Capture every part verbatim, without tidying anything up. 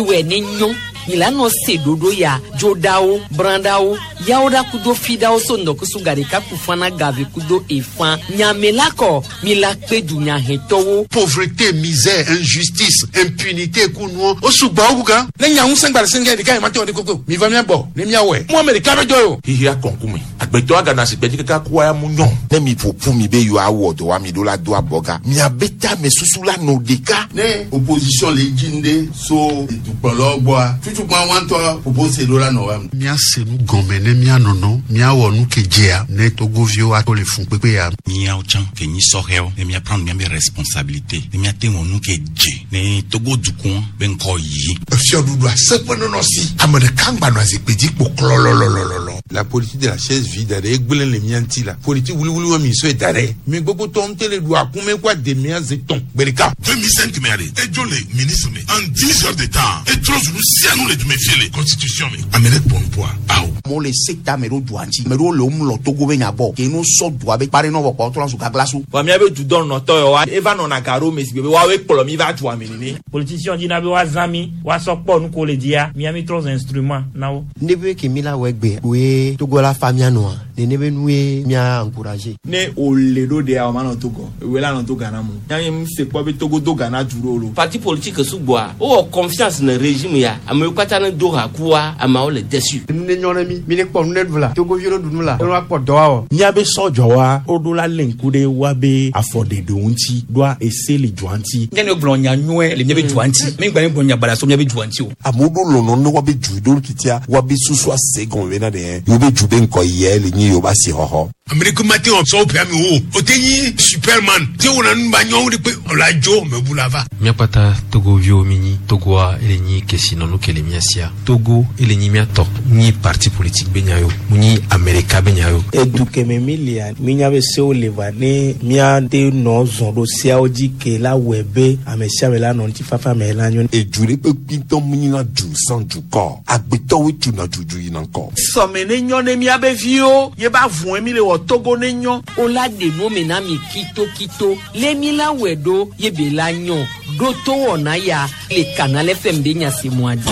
Miwɛ ne nyɔ milano se ɖoɖo ya dzoɖawo brãɖawo yawoɖa kudo fiɖawo so ŋdɔkusu gaɖeka kufana gave kudo efã nyamela kɔ mila kpe dunyahetɔwo. Pauvreté, misère, injustice, impunité kunuɔ o sugbɔ wo gan. Ne nya ŋusẽ gba le sɛngɛ ɖeka yi ma te wɔ de koko mi va mía gbɔ ne mía wɔe mu ame ɖeka bɛ jɔ o. Hihi akɔnkume agbetɔ agana si gbɛdzi kaka kua ya mu nyɔ. Ne mi ƒo mi be yewoawɔ dɔ wa mi ɖo la do abɔga miabe tame susu la nɔ ɖeka. Ne opposition le dzi ɖe so dukplɔlawo gbɔa tutukpa wɔntɔ propose ɖo la nɔ wa. Míase nu gɔme ne míanɔnɔ míawɔ nu ke dzea ne togoviwo ato le fun kpekpe ya. Míawo tsã ke nyi sɔhɛwo ne mía prendre míabe responsabilité ne míate wɔ nu ke dze ne Togo dukɔ be ŋkɔ yi. Efiɔɖuɖu aseƒe nɔnɔ si ame ɖeka ŋgba nɔ zikpui dzi kpo klɔlɔlɔlɔlɔ. La politique de la chaise vide ɖe egblẽ le mía ŋuti la politique wuliwuli wa mi sɔe da ɖe mi gbogbo tɔ ŋutɛ le ɖu akume kó ademea ze tɔn gbe ɖeka. deux mille cinq mɛ ale edzo le ministre me en dix heures de temps etrɔ zu nu sia nu le dume fie le constitution me ame ɖe kpɔ nu poa awo. Amewo le se ta ame ɖewo dua ŋuti ame ɖewo le wo mlɔ Togo be nya gbɔ ke no sɔ dua be kpa ɖe nɔ vɔ kpɔ trɔ zu gagla so. Vɔ míabe dudɔnɔtɔ yawoa eva nɔna ga ɖo me si gbe be woawoe kplɔ mi va dua me nene. Politicien dina be woazã mi woasɔ kpɔ nu ko le dzia mía mi trɔ zu instrument na wo. Ne be ke mi la wɔ egbe koe Togo la fa mía nɔa nene be nue mía encourager. Ne o le ɖo ɖea o ma nɔ Togo ewe la nɔ to Ghana mo yanyi mu se kpɔ be Togo do Ghana du ɖo lo. Parti politique sugbɔa wowɔ confiance ne régime ya amewo katã ne do ha kua ameawo le déçu. Nu ne nyɔ ne mi mi ne kpɔ nu ne ɖu la togoviwo ɖu nu la ne wa kpɔ dɔ wa wɔ. Míabe sɔdzɔwa woɖo la lé ŋku ɖe woabe afɔɖeɖewo ŋuti ɖoa ese le dua ŋuti. Nye ne gblɔ nya nyuie le míabe dua ŋuti mi gba ne gblɔ nya baɖa so míabe dua ŋuti o. Amewo ɖo lɔlɔ ne woabe du ɖo titia woabe susu ase gɔme bena ɖe yewobe du be ŋkɔ yɛ le nyi yewobe asixɔxɔ. Amerika ma te wɔ sɔwɔ ƒe ame wo o te nyi superman te wɔna nu ba nyɔwo de kpe ɔla dzo mebu la va. Míakpata togoviwo mi nyi Togoa ele nyi kesinɔnu ke le mía sia Togo ele nyi mía tɔ nyi parti politique be nya yo mu nyi Amerika be nya yo. Edu keme mi lia mínya be sewo le va ne míate nɔ zɔn ɖo seawo dzi ke la wɔe be ame sia ame la nɔ ŋutifafa me la nyo. Edu ɖe kpe kpitɔ mu nyina du sans dukɔ agbetɔwoe tuna dudu yina ŋkɔ. Sɔme ne nyɔ ne míabe viwo ye ba vɔe mi le wɔ Togo ne nyɔ. O la ɖe nu me na mi kitokito le mi la wɛ ɖo ye be la nyɔ ɖo to wɔna ya le Canal F M be nyasemua dzi.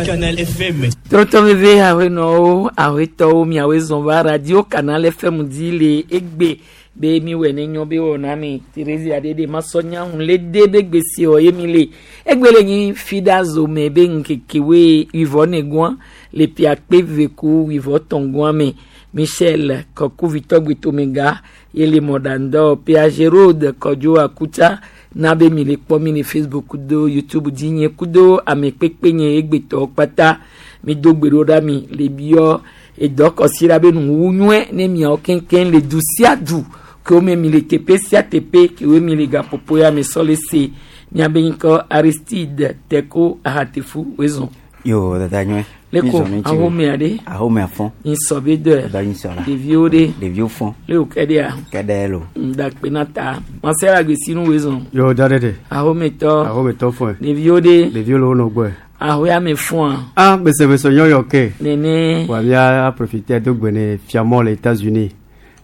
Canal F M. Trɔtrɔ veve ahenɔwo ahetɔwo miawoe zɔn va radio Canal F M dzi le egbe be mi wɔ ne nyɔ be wɔna mi Thérésia ɖe ɖe masɔ nya hun le de be gbesi wɔ ye mi le egbe le nyi fida zome be ŋkekewoe wivɔ negua le piakpe veku wivɔ tɔngua me Michel Kɔkuvitɔ gbetomega ye le mɔɖandɔ Pia Gérode Kɔdzo Akutsa na be mi le kpɔ mi le Facebook kudo YouTube dzi nye kudo ame kpekpe nye egbetɔwo kpata mi do gbe ɖo ɖa mi le biɔ edɔ kɔsi ɖa be nuwuwu nyuie ne miawo keŋkeŋ le du sia du ke wo me mi le teƒe sia teƒe ke wo mi le gaƒoƒo ya me sɔ le se miabe ŋkɔ Aristide Teko Ahatefu wezɔn. Yo, dada nyuie. Leko ahomea ɖe. Ahomea fɔn. Nyisɔ be dɔe. Dɔ nyisɔ la. Ɖeviwo ɖe. Ɖeviwo fɔn. Le wo kɛ ɖea. Kɛ ɖe lo. Ŋdakpe na ta. Masela gbesinu wezɔn. Yo, da ɖe ɖe. Ahometɔ. Ahometɔ fɔn. Ɖeviwo ɖe. Ɖeviwo le wo nɔ gbɔe. Ahoya me fɔn. Ah, bese bese nyɔyɔ ke. Nene. Wa mía profiter do gbe ne fiamɔ le États-Unis.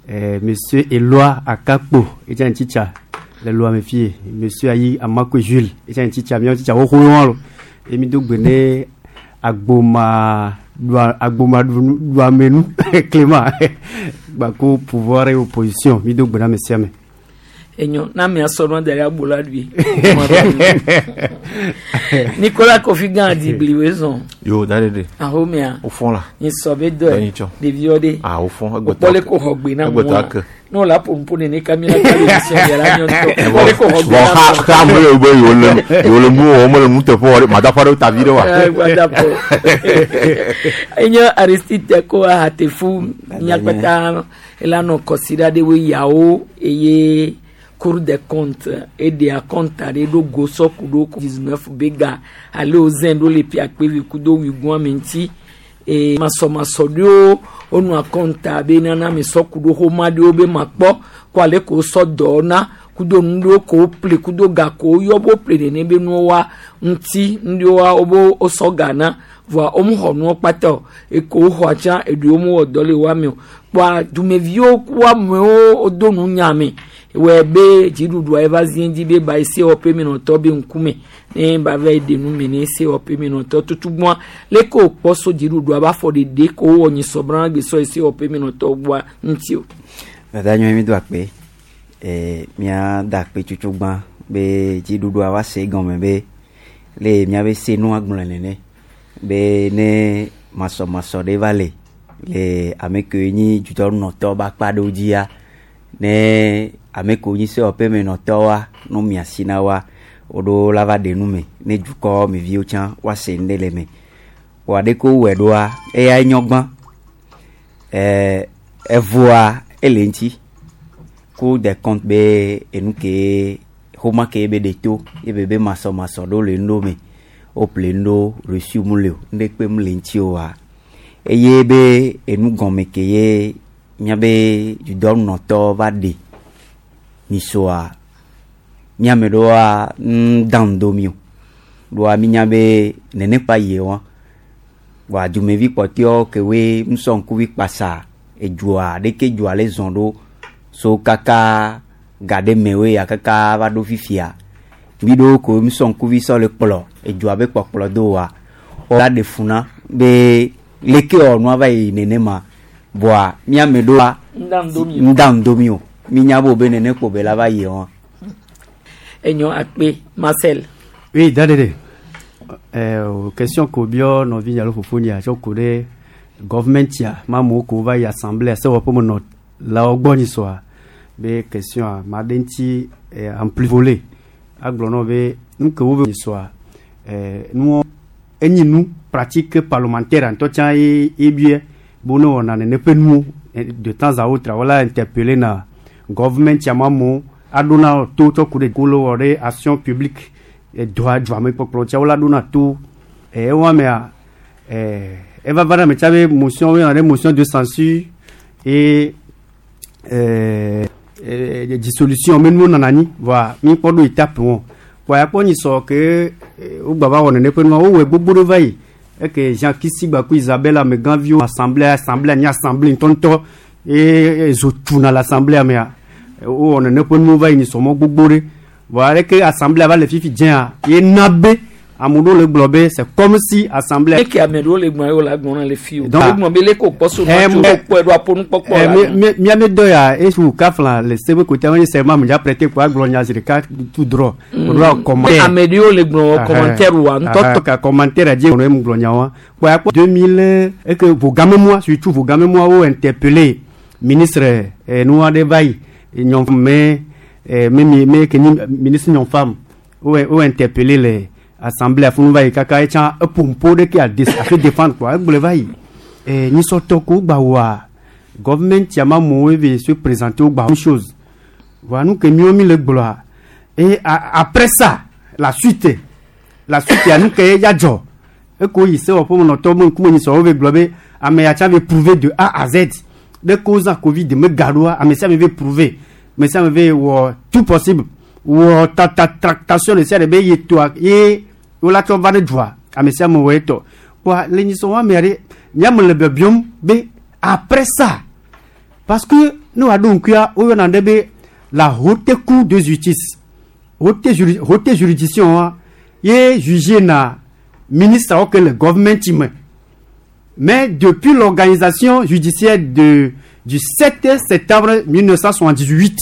Eh, Monsieur Eloi Akakpo, edza ŋtsitsa le loa me fie. Monsieur Ayi Amakwe Jules, edza ŋtsitsa miawo tsitsa xoxo wɔn lo. Emi do gbe ne agboma doa agboma doamenu Clément gbako pouvoir et opposition mi do gbe na ame sia ame. Enyo na mi asɔ nua da ɖe agbo la ɖui. Nicolas Kofi Gã di wezɔn. Yo, da ɖe ɖe. Ahomea. O fɔn la. Nyisɔ be dɔe. Nyitsɔ. Ɖeviwo ɖe. Ah, o fɔn. Wokpɔ le ko xɔ gbe na mua. Ne wòle aƒo nene kamina ka le émission ya la nyɔ ŋutɔ. Wokpɔ le ko xɔ gbe Bon, na xa mua. xa ame le be yewo le yewo le nu wɔm le nuteƒe wɔm madaƒo aɖewo ta vi ɖe wa. Eh, gbadaƒo. Enye Aristide Teko Ahatefu miakpata ela nɔ kɔsiɖa ɖe yawo eye Cour des comptes eɖea compte aɖe ɖo go sɔku ɖo dix-neuf be ga alo zɛn ɖo le piakpevi kudo wigua me ŋuti e masɔmasɔ ɖewo wonɔa compte be nana me sɔku ɖo xoma ɖewo be makpɔ ko ale ko sɔ dɔ na kudo nu ɖewo ko ƒle kudo ga ko yɔ bo ƒle nene be nuwo wa ŋuti nu ɖewo wa wobe wosɔ ga na voa womu xɔ nuwo kpata o eko woxɔa tsã eɖewo mu wɔ dɔ le wa me o kpoa dumeviwo ku amewo wodo nu nya me. Wɛ be dziɖuɖua eva zi dzi be ba yi sewɔƒe menɔtɔ be ŋkume ne ba va yi ɖe nu me ne sewɔƒe menɔtɔ tutugbɔa leke wòkpɔ so dziɖuɖua be afɔ ɖeɖe ko wowɔ nyisɔbrã gbesɔ yi sewɔƒe menɔtɔ gbɔa ŋuti o. Dada nyɔe mi do akpe eh, mía da akpe tsotso gbã be dziɖuɖua va se gɔme be le míabe se nua gblɔe nene be ne masɔmasɔ ɖe va le le ame kewo nyi dzudzɔnɔtɔ be akpa ɖewo dzia ne ame kewo nyi sewɔƒemenɔtɔwoa no mia asi na woa woɖo la va ɖe nu me ne dukɔ me viwo tsã woase nu ɖe le me vɔa ɖeke wowɔe ɖoa eya nyɔ gbã ɛɛ evoa ele ŋuti Cour des comptes be enu ke xoma ke be ɖe to ebe be masɔmasɔ ɖewo le nu ɖewo me woƒle nu ɖewo reçu mu le o nuɖekpe mu le ŋuti oa eye be enu gɔme ke ye míabe dudɔnɔtɔ va ɖe nyisoa míame ɖewoa ŋda ŋdo mi o ɖoa mínya be nene kpa yie wa vɔa dumevi kpɔtɔewo kewoe ŋusɔ ŋkuvi kpasa edzua ɖeke dzua le zɔn ɖo so kaka ga ɖe mewoe ya kaka va ɖo fifia vi ɖewo ko ŋusɔ ŋkuvi sɔ le kplɔ edzua be kpɔkplɔ do wa la ɖe fu na be leke wɔ nua va yi nenema vɔa míame ɖoa ŋda ŋdo mi o mínya bo be nene kpo be la va yi wa. Enyo akpe Marcel. Oui, dadede. Eh, question ko bio nɔvi alo fofoni a tsɔ ku ɖe government ya ma amewo ko va yi assemblée sewɔƒe me nɔ la wo gbɔ nyi sɔa be question a ma ɖe ŋuti eh, en plus volé agblɔ nɔ be nu ke wo be nyi sɔa eh, nuwo enyi nu pratique parlementaire ŋutɔ tsã ye ye bia be ne wɔna nene ƒe nuwo de temps à autre wala interpeller na government ya ma amewo aɖo na to tsɔ ku ɖe kolo wɔ ɖe action publique dɔa dua me kpɔkplɔ tsa wola ɖona to ewa mea eva va ɖe me tsa be motion wo yɔna ɖe motion de censure et euh, dissolution me nuwo nana anyi voa mi kpɔ ɖo étape wɔn voa ya kpɔ nyi sɔ ke wogba va wɔ nene ƒe nua wowɔe gbogbo ɖe va yi eke Jean Kisi gba ku Isabelle amegãviwo assemblée assemblée anyi assemblée ŋutɔŋutɔ ye zo tuna le assemblée mea wowɔ nene ƒe nuwo va yi nyi sɔmɔ gbogbo ɖe voa aleke assemblée va le fifi dzea ye na be ame ɖewo le gblɔ be c'est comme si assemblée. Eke ame ɖewo le gblɔ ye wole agblɔ na le fi o. Wogblɔ be leke wòkpɔ so nua tso wokpɔe ɖo aƒo nukpɔkpɔ la. Míame dɔ ya esu kafla le sebe kote ame sɛ ma me dza prêter ko agblɔ nya zi ɖeka tout droit. O ɖo commentaire. Ame ɖewo le gblɔ commentaire wa ŋutɔ. Ka commentaire dzi wɔnɔ emu gblɔ nya wa. Kpɔ ya kpɔ deux mille eke vogame moa surtout vogame moa wo interpellé ministre nua ɖe va yi nyɔ me me mi me ke ni ministre nyɔ femme wo wo interpellé le assemblée afunu va yi kaka etsã eƒompo ɖe ke a se défendre quoi egblɔe va yi eh, nyisɔtɔ ko gba wɔa government ya ma amewo eve se présenter wo gba une chose voilà nu ke miwo mi le gblɔa et après ça la suite la suite ya nu ke ya dzɔ eko yi sewɔƒe menɔtɔ be ŋkume nyisɔ wo ve gblɔ be ame ya tsa ve prouver de A à Z ɖe ko zã Covid me ga ɖoa ame sia ame ve prouver ame sia ame ve wɔ tout possible wɔ tata tractation ɖe sia ɖe be ye toa ye wola tsɔ va ne dua ame sia ame wɔ etɔ kpoa le nyisɔ wa mea ɖe míame le biabiam be après ça parce que ne wòaɖo ŋkuia woyɔna ɖe be la haute cour de justice haute juri haute juridiction wa ye juge na ministre ke le government me mais depuis l'organisation judiciaire de du sept septembre mille neuf cent soixante-dix-huit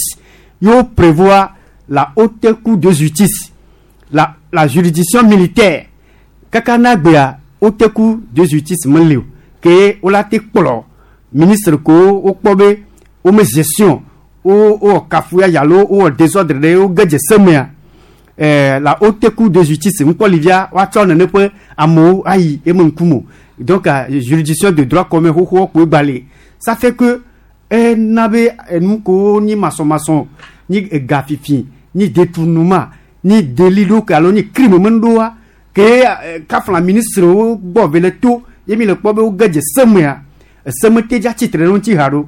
yo prévoit la haute cour de justice, la la juridiction militaire kaka na gbea haute cour de justice mele o ke wola te kplɔ ministre ko wokpɔ be wome gestion wo wowɔ kafuya alo wowɔ désordre ɖe wo ge dze semea eh, la haute cour de justice ŋkpɔ livia woatsɔ nene ƒe amewo ayi eme ŋkume o. Donc uh, juridiction de droit commun xoxowo koe gba ça fait que ena be enu ko ni masɔmasɔ ni ega fifi ni détournement ni délit ɖo ke alo ni crime me ɖoa ke eh, kafla ministre wo gbɔ ve le to ye mi le kpɔ be wo ge dze semea eseme te dza tsitre ɖe ŋuti ha ɖo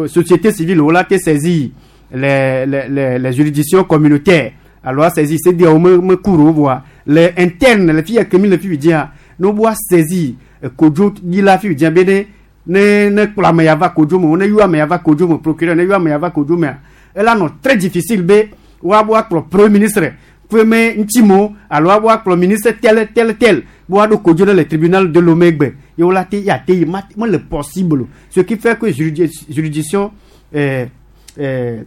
société civile wo la te saisir les les les les juridictions communautaires alors saisir C D A O me me cour wo voa le interne le fi ke mi le fi dzia ne wo saisir kodzo yi la fi dzia be ne ne ne kplɔ ame ya va kodzo me ne yɔ ame ya va kodzo me procureur ne yɔ ame ya va kodzo mea ela nɔ très difficile be woabo akplɔ premier ministre kpeme ŋutimo alo woabo akplɔ ministre tel tel tel be woaɖo kodzo ɖe le tribunal de Lomé gbe ye wola te ya te yi ma mele possible o. Ce qui fait que juridic- juridiction euh, euh,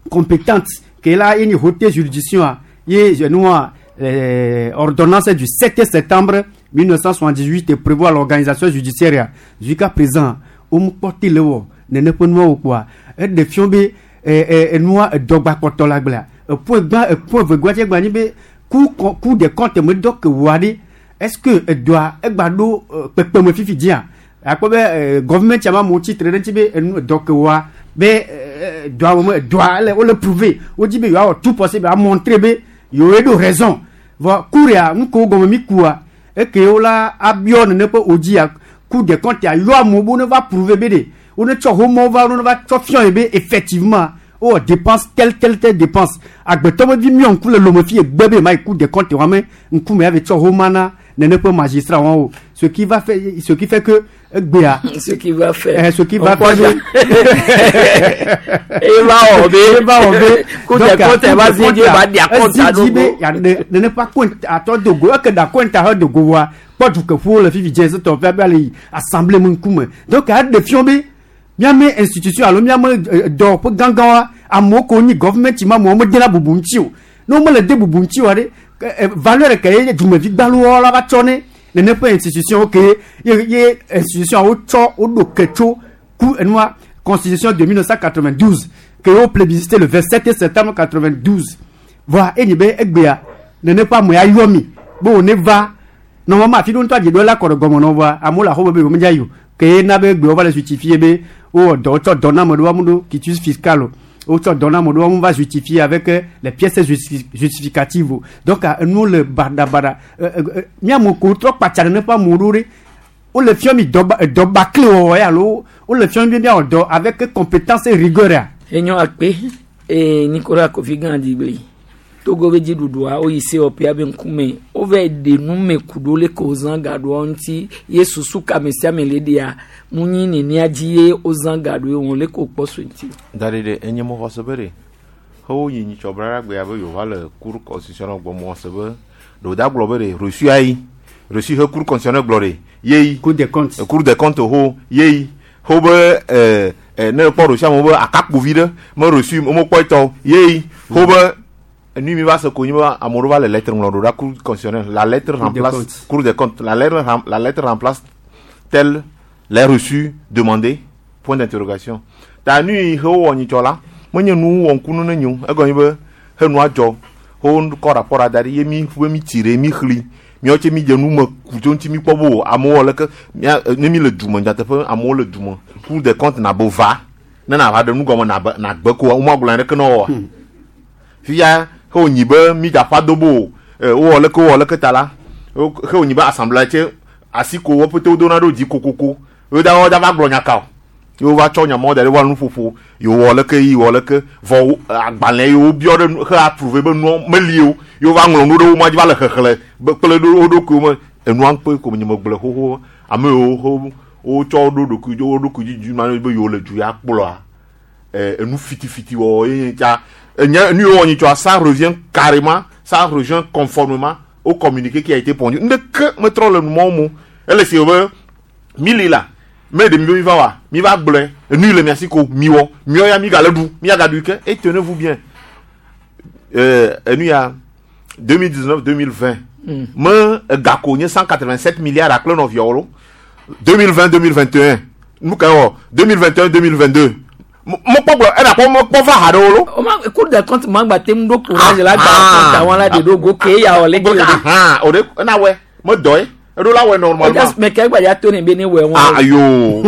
compétente que là une haute juridiction a ye nua euh, ordonnance du sept septembre mille neuf cent soixante-dix-huit et prévoit l'organisation judiciaire ya. Jusqu'à présent womekpɔ te le wɔ nene ƒe nuawo kpoa eɖe fia be eh, eh, enua edɔgba kpɔtɔ le agblea epoint gbã epoint vegua tse gba nyi be cour cour des comptes me dɔ ke wɔa ɖi. Est-ce que edɔa egba ɖo eh, kpekpeme fifi dzia akpɔ be eh, government tia ma amewo tsitre ɖe ŋuti be enu dɔ ke wɔa be eh, dɔa me dɔa ele wole prouver wodzi be yewoawɔ tout possible a montrer be yewoe ɖo raison. Vɔ cour ya nu kewo gɔme mi kua eke wola abiɔ nene ƒe wodzia cour des comptes ya yɔ amewo be wone va prouver be de wone tsɔ homɔwo va wone va tsɔ fiɔ yi be effectivement wowɔ dépense tel tel tel dépense. Agbetɔ be vi miɔ ŋku le lome fi egbe be ma yi cour des comptes wa me ŋkume ya ve tsɔ homa na nene ƒe magistrat wɔn o, ce qui va faire ce qui fait que egbea ce qui va faire eh, ce qui On va croit faire e va wɔ be e va wɔ be Cour des comptes va zi dzi va di akɔnta ezi dzi be ɖo ya ne nene ƒe akɔnta atɔ dogo eke da akɔnta he dogo wa kpɔ dukeƒowo le fifi dze setɔ ƒe abe le yi assemblée me ŋkume. Donc eɖe fia be míame institution alo míame eh, dɔwɔƒe gãgãwoa amewo ko nyi government ma amewo medena bubu ŋuti o. Ne womele de bubu ŋuti oa ɖe ke, eh, valeur ke ye dumevi gbalowo la va tsɔ ne nene ƒe institution ke ye ye institution wo tsɔ woɖo ke tso ku enua constitution de mille neuf cent quatre-vingt-douze ke wo plébiscité le vingt-sept septembre quatre-vingt-douze. Voa enyi be egbea nene ƒe ame ya yɔ mi be wòne va normalement afi ɖo ŋutɔ adze ɖo la kɔ ɖe gɔme nɔ voa amewo le axɔme be yewo medza yi o ke ye na be egbe va le justifier be wowɔ dɔ wotsɔ dɔ na ame ɖewo amu ɖo quitus fiscal o wotsɔ dɔ na ame ɖewo amu va justifier avec euh, les pièces justi- justificatives o. Donc ah, enuwo le baɖabaɖa. Míame ko trɔ kpatsa nene ƒe amewo ɖo ɖe wole fia mi dɔ dɔ bakle wɔwɔ ya alo wole fia mi be míawɔ dɔ avec compétence et rigueur ya. Enyo akpe ee Nicolas Kofi Gã digble Togo be dziɖuɖua woyi sewɔƒea be ŋkume wova ɖe nume ku ɖo leke wozã gaɖoa ŋuti ye susu ka ame sia ame le ɖea mu nyi nenea dzi ye wozã gaɖoe wɔn leke wokpɔ so ŋuti. Da ɖe ɖe enye mo xɔse be ɖe xewo yi nyitsɔ bla gbea be yewoava le cour constitutionnelle gbɔ mo xɔse be ɖewo da gblɔ be ɖe reçu ayi reçu he cour constitutionnelle gblɔ ɖe yeyi cour des comptes cour des comptes ho yeyi ho be ɛɛ ɛ ne kpɔ reçu amewo be akakpovi ɖe me reçu mo kpɔ etɔ yeyi ho be nu mi va se ko nyi be ame ɖewo va le lettre ŋlɔ ɖo ɖa cour constitutionnelle, la lettre Cour des remplace comptes. Cour des comptes, la lettre rem- la lettre remplace tel les reçus demandés point d'interrogation. Ta nu yi he wowɔ nyitsɔ la menye nu wɔ ŋkunu ne nyo egɔme be he nua dzɔ ho kɔ rapport da ɖi ye mi be mi tsi ɖe mi xli miawo tse mi dze nu me ku tso ŋuti mi kpɔ be o amewo wɔ leke mia ne mi le du me nyateƒe amewo le du me Cour des comptes na be va ne na va ɖe nu gɔme na be na gbe ko womagblɔ ɖeke na wɔa fifia he wònyi be mi dzaƒa do be o e, wowɔ leke wowɔ leke ta la wo- he wònyi be assemblée tse asi ko wo ƒete wodona ɖo dzi kokoko wo da wo da va gblɔ nya ka o ye wova tsɔ nyamɔwo da ɖe wa nuƒoƒo yewo wɔ leke yi wɔ leke vɔ wo- agbalẽ yi wobiɔ ɖe nu he approuvé be nua meli o ye wova ŋlɔ nu ɖe wo ma dzi va le xexlẽ be kple ɖo wo ɖokuiwo me enua ŋkpe ko nye megblɔ xoxo ame yiwo ho wotsɔ wo ɖo ɖokui wo ɖokui dzi dzi ma be yewo le du ya kplɔa eh, enu fitifiti wɔwɔ ye nye tsa enye nu yiwo wɔ nyitsɔa ça revient carrément, ça revient conformément au communiqué qui a été pondu. Ndeke metrɔ le numɔwo mo ele si be mili la me ɖe mi be mi va wa mi va gblɔe enu yi le mia si ko mi wɔ miɔ ya mi gale ɖu mi agaɖui ke et tenez-vous bien, euh, enu ya deux mille dix-neuf deux mille vingt Mm. me egako nye cent quatre-vingt-sept milliards akple nɔviawo lo deux mille vingt deux mille vingt et un nu ka wɔ deux mille vingt et un deux mille vingt-deux mekpɔ gblɔ ena kpɔ mekpɔ va ha ɖewo lo. O ma Cour des comptes ma gba te ŋu ɖo courage la gba compte àwọn la de ɖo go ke ya wɔ leke o de. O de ena wɛ me dɔ ye eɖo la wɛ normalement. Mɛ kɛ gba to ne be ne wɛ wɔn. Ah ayo,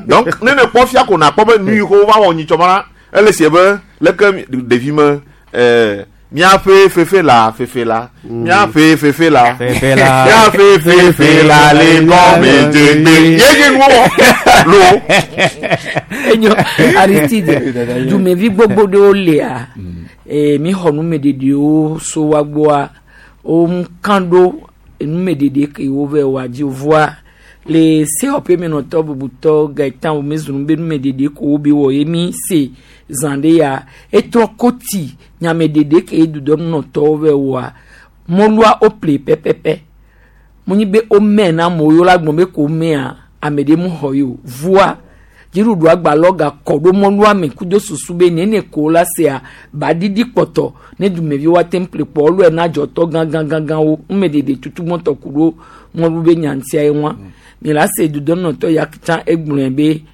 donc ne ne kpɔ fia ko na kpɔ be nu yi ko va wɔ nyitsɔ ma la ele sie be leke ɖevi me ɛɛ miaƒe fefe la fefe la miaƒe fefe la Fefe la. Miaƒe fefe la le gɔme dzegbe ye nye nuwo wɔ lo. Enyo Aristide dumevi gbogbo ɖewo lia ee mi xɔ numeɖeɖewo so wa gbɔa wo kan ɖo numeɖeɖe ke wo vɛ wa dzi voa Le sewɔƒe menɔtɔ bubutɔ Gaetan Womezunu be numeɖeɖe ko wo be wɔ ye mi se zã ɖe ya etrɔ koti nyameɖeɖe ke dudɔnunɔtɔwo vɛ wɔa mɔlua wo ple pɛpɛpɛ munyi be wo mɛ na amewo yewo la gblɔ be ko mɛa ame ɖe mu xɔ ye o vua dziɖuɖu agbalɔ gakɔ ɖo mɔlua me kudo susu be nene ko la sea baɖiɖi kpɔtɔ ne dumeviwo ate ŋu ple kpɔ ɔlɔe na dzɔtɔ gãgãgãgãwo numeɖeɖe tutu mɔtɔ ku ɖo mɔlu be nyantia ye ŋua mi la se dudɔnunɔtɔ ya tsã egblɔe be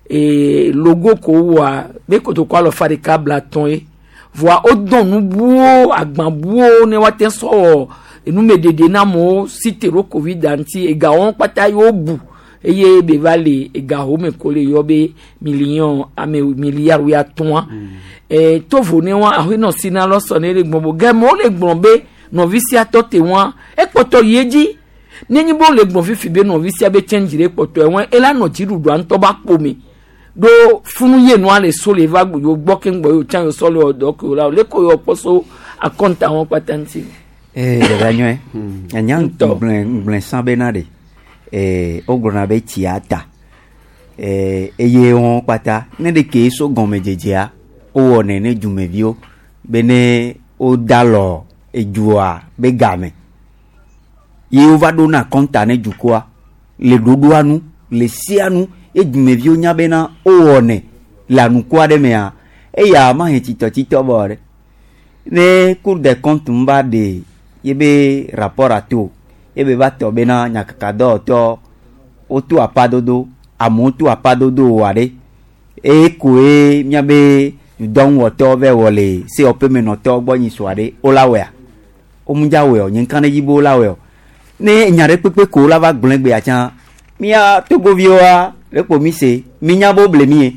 ee logo ko wɔa be kotoko alɔfa ɖeka bla tɔn ye voa wodɔn nu buwo agban buwo ne woate sɔ wɔ enumeɖeɖe na amewo si te ɖo covid ŋuti egawo kpata ye wobu eye be va le egawo me ko le yɔ be million ame milliard wuiatɔ̃a ee tovo ne wa ahenɔ si na lɔ sɔ ne le gbɔn bo gɛmɛ wole gblɔ be nɔvi sia tɔ te wa ekpɔtɔ yi edzi nenye be wole gblɔ fifi be nɔvi sia be change ɖe kpɔtɔ wɔn ela nɔ dziɖuɖua ŋutɔ ba kpo me ɖo funu ye nua le so le va yewo gbɔ keŋ gbɔ yewo tsã yewo sɔ le wɔ dɔ ke wo la le ko yewo kpɔ so akɔnta wɔn kpata ŋuti. ee dada nyɔe anya ŋgblẽ ŋgblẽ sã bena ɖe ee wogblɔna be tsia ta ee eye wɔn kpata ne ɖeke so gɔmedzedzea wowɔnɛ ne dumeviwo be ne woda lɔ edua be game ye wova ɖona kɔnta ne dukɔa le ɖoɖoa nu le sia nu ye dumeviwo nya bena wowɔnɛ le anukua ɖe mea eya ma he tsitɔtsitɔ bɔ ɖe ne cour des comptes ŋu va ɖe ye be rapport ato ye be va tɔ bena nyakakadɔwɔtɔ woto apadodo amewo to apadodo wɔ ɖe eye koe miabe dɔŋuwɔtɔ vɛ wɔ le sewɔƒemenɔtɔ gbɔ nyi sua ɖe wola wɔa womudza wɔe o nye ŋka ɖe dzi be wola wɔe o ne nya ɖe kpekpe ko wola va gblẽ gbea tsã mía togoviwoa ɖe kpo mi se mi nya be woble mi ye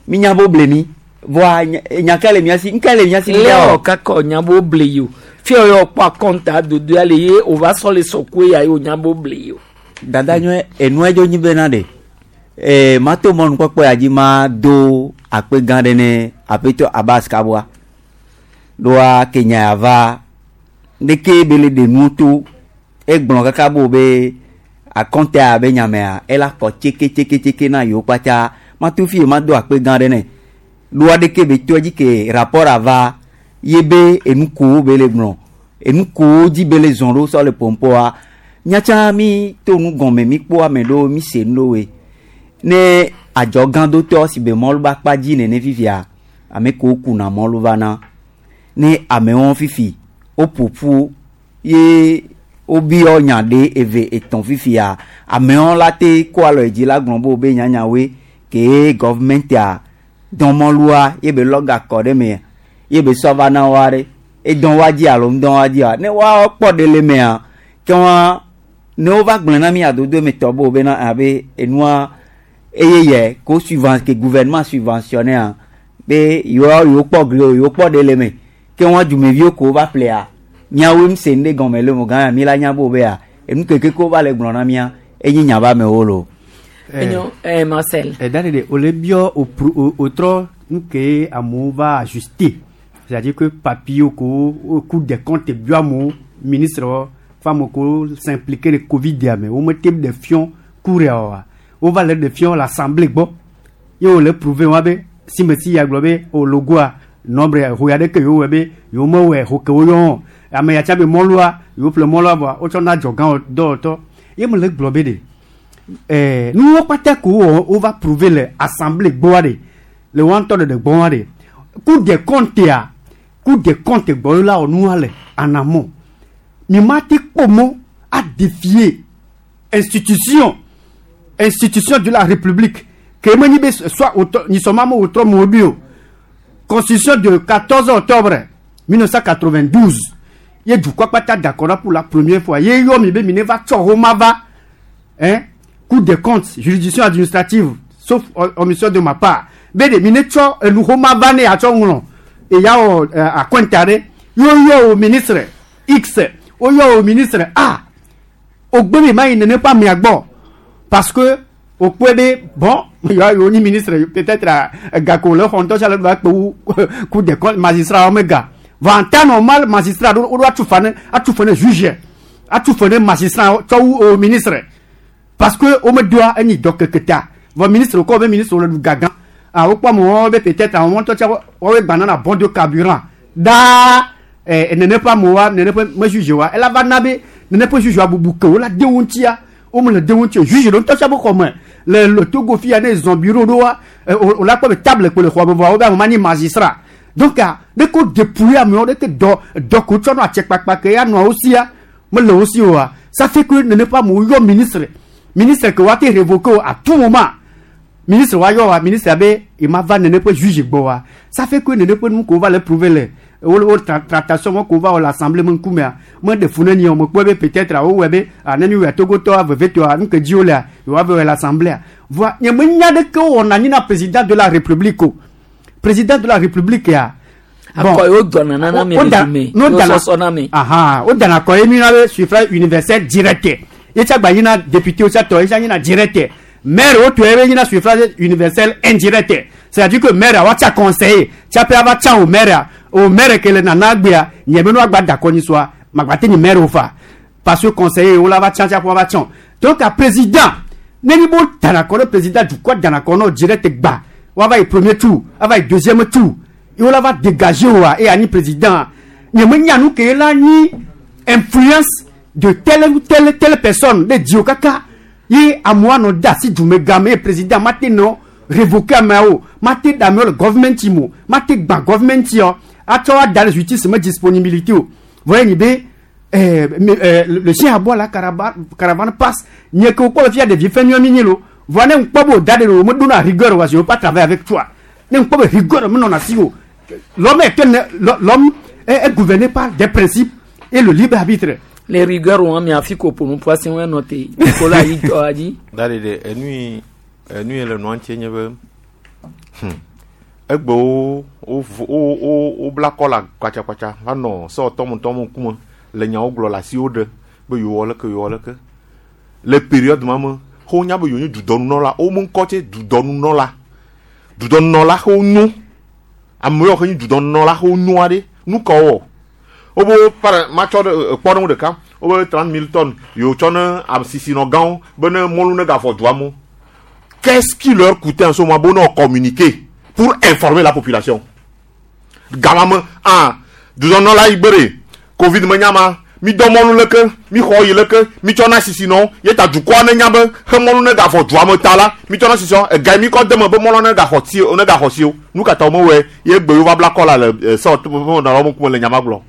mi nya be woble mi vɔa nya ka le mía si ŋka le mía si lé wɔ kaka nya be woble yi o fia yɔ kpɔ akɔnta dodo ya le ye wòva sɔ le sɔkue ya ye wònya be woble yi o. Dada nyɔe enua dzo nyi bena ɖe ee mato mɔnukpɔkpɔ ya dzi ma do akpe gã ɖe ne aƒetɔ Abbas Kaboa ɖoa kenya ya va ɖeke be le ɖe nuwo to egblɔ kaka bo be akɔnta be nyamea ela kɔ tseke tseke tseke na yewo kpatsa mato fi ma do akpe gã ɖe ne ɖoa ɖeke be to edzi ke rapport ava ye be enu kowo be le gblɔ enu kowo dzi be le zɔn ɖo sɔ le pɔmpɔa miatsa mi to nu gɔme mi kpɔ ame ɖewo mi se nu ɖewoe ne adzɔgãdotɔ si be mɔlu ba kpa dzi nene fifia ame kewo kuna mɔlu va na ne amewo fifi woƒoƒu ye wobiɔ nya ɖe eve etɔ̃ fifia amewo la te kó alɔ dzi la gblɔ be wo be nyanyawoe ke gɔvmɛntia dɔn mɔlua ye be lɔ gakɔ ɖe me ye be sɔ va na woa ɖe edɔn wa dzi alo ŋdɔn wa dzia ne woa kpɔ ɖe le mea ke wa ne wova gblẽ na mi adodo me tɔ be wo bena abe enua eye yɛ ko suivant ke gouvernement subventionné be yewoa yewo kpɔ gli o yewo kpɔ ɖe le me ke wɔn dumeviwo ko va ƒlea miawoe m se nu ɖe gɔme le mo gã mi la nya bo bea enu keke ko va le gblɔ na mia enye nya ba amewo lo. Enyo, eh, Marcel. Eh, da de o le biɔ o pro o o trɔ nu ke amewo va ajuster c'est-à-dire que papier ko o Cour des comptes biɔ amewo ministre wɔ fo amewo ko s'impliquer le covid ya me wo me te ɖe fiɔ cour ya oa wova le ɖe fiɔ l'assemblée gbɔ ye wo le prouver wa be si me si ya gblɔ be o logoa nombre ho ya ɖe ke yewo wɔ be yewo mewɔe ho ke wo yɔ ame ya tsa be mɔlua yewo ƒle mɔlua vɔa wotsɔ na adzɔgã dɔwɔtɔ ye me le gblɔ be ɖe ɛɛ nuwo kpata ko wɔ wova prouver le assemblée gbɔa ɖe le wɔn ŋutɔ ɖeɖe gbɔa ɖe Cour des comptes ya Cour des comptes gbɔ la wɔ nua le en amont mi ma te kpɔ mɔ a défier institution institution de la république ke me nyi be soit nyisɔma me wòtrɔ me woɖui o constitution de quatorze octobre mille neuf cent quatre-vingt-douze ye dukɔ kpata d'accord pour la première fois ye yɔ mi be mi ne va tsɔ xoma va hein Cour des comptes, juridiction administrative, sauf omission de ma part, be de mi ne tsɔ enu xoma va ne yatsɔ ŋlɔ eya wɔ akɔnta ɖe ye woyɔ o ministre X, woyɔ o ministre A, ogbe mi ma yi nene ƒe amea gbɔ parce que wokpɔe be bon yewoa yewo nyi ministre peut-être gako le xɔ ŋutɔ sia le va kpe wu Cour des comptes magistrat wɔme ga vɔ en temps normal magistrat ɖo woɖo atu fa ne atu fe ne juge atu fe ne magistrat tsɔ wu o ministre. Parce que wo me doa enyi dɔ keke ta. Vɔ ministre kɔ be ministre le ɖu gagã. Ah, wokpɔ amewo be peut-être amewo ŋutɔ tsa woawoe gbana na bon de carburant. Daa eh, nene ƒe amewoa nene ƒe me juge wa ela va na be nene ƒe juge wa bubu ke wo la de wo ŋutia wo me le de wo ŋuti o juge ɖe ŋutɔ tsa be xɔ me le le Togo fia ne zɔn bureau ɖo wa eh, o o la kpɔ be table kpe le xɔ me vɔa wo be ame ma nyi magistrat donc ah ɖe ko dépouiller amewo ɖe ke dɔ dɔ ko tsɔ nɔ atsɛkpakpa ke ya nɔa wo sia mele wo si oa ça fait que nene ƒe amewo yɔ ministre ministre ke wa te révoquer o à tout moment ministre wa yɔ wa ministre abe il ma va nene ƒe juge gbɔ wa ça fait que nene ƒe nu ko va le prouver le wo wo tra tractation mo ko va wɔ le assemblée me ŋkumea me ɖe fu ne ni o me kpɔe be peut-être wo wɔe be ah ne mi wɔe togotɔ vevetɔa nu ke dzi wo lea yewoa va wɔ le assemblée voa nye me nya ɖeke wɔna anyi na président de la république o président de la république ya Akɔ yewo dɔna nana mi wo le da- dume n'o yewo dana sɔsɔ na mi. ahan wo dana kɔ ye mi na be suffrage universel direct ye tsa gba yina député wo tsa tɔ ye tsa yina direct maire wo tɔ ye be yina suffrage universel indirect c'est à dire que maire wa tsa conseiller tsa pe ava tsa o maire o maire ke le nana gbea nye be no agba da kɔ nyi soa magba te nyi maire o fa parce que conseiller wo la va tsa tsa ƒo va tsa donc a président ne ni bo dana kɔ ɖe président dukɔ dana kɔ n'o direct gba wa va yi premier tour ava yi deuxième tour ye wo la va dégager wa e anyi président nye me nya nu ke la nyi influence de telle ou telle telle personne de dio kaka ye amewo anɔ de asi dume game ye président ma te nɔ révoquer ameawo ma te da amewo le government mo ma te gba government yɔ atsɔ ada le justice me disponibilité o voyez ni be eh, mais, eh, le le chien aboie la caravane, caravane passe nye ke wokpɔ le fia ɖevi fɛn nyɔ mi nyi lo voa ne ŋkpɔ be o da ɖe lo me dona rigueur wa je veux pas travailler avec toi ne ŋkpɔ be rigueur me nɔna si o l'homme est un- l'homme est, est gouverné par des principes et le libre arbitre les rigueurs wɔn mi afi ko ƒonu ƒu asi wɔn nɔ te Nicolas yi tɔ dzi. Da ɖe ɖe enu yi enu yi le nua ŋuti nye be hmm, egbewo wo vo- wo wo wobla kɔla kpatsakpatsa va nɔ sewɔtɔmutɔmu ŋkume le nyawo gblɔ le asiwo ɖe be yewo wɔ leke yewo wɔ leke le période ma me xɔ nya be yewo nye dudɔnunɔla wo me ŋkɔ tse dudɔnunɔla dudɔnunɔla xɔ nyo ame yawo ke nye dudɔnunɔla xɔ nyo aɖe nu ka wowɔ wobe par matsɔ ɖe kpɔɖeŋu ɖeka wobe trente mille tonnes yewo tsɔ ne asisinɔ gãwo be ne mɔlu ne gavɔ dua me qu'est-ce qui leur coûtait en ce moment pour nous communiquer pour informer la population gama me ah dudɔnunɔla yi gbe ɖe covid me nyama mi dɔ mɔlu leke mi xɔ yi leke mi tsɔ na sisinɔ ye ta dukɔa ne nya be xe mɔlu ne gavɔ dua me ta la mi tsɔ na sisinɔ ega yi mi kɔ de me be mɔlu ne gaxɔ ti ne gaxɔ si o nu katã wo mewɔe ye gbe yewo va bla kɔ la le eh, sewɔtɔ nɔlawo ŋkume le nyama gblɔ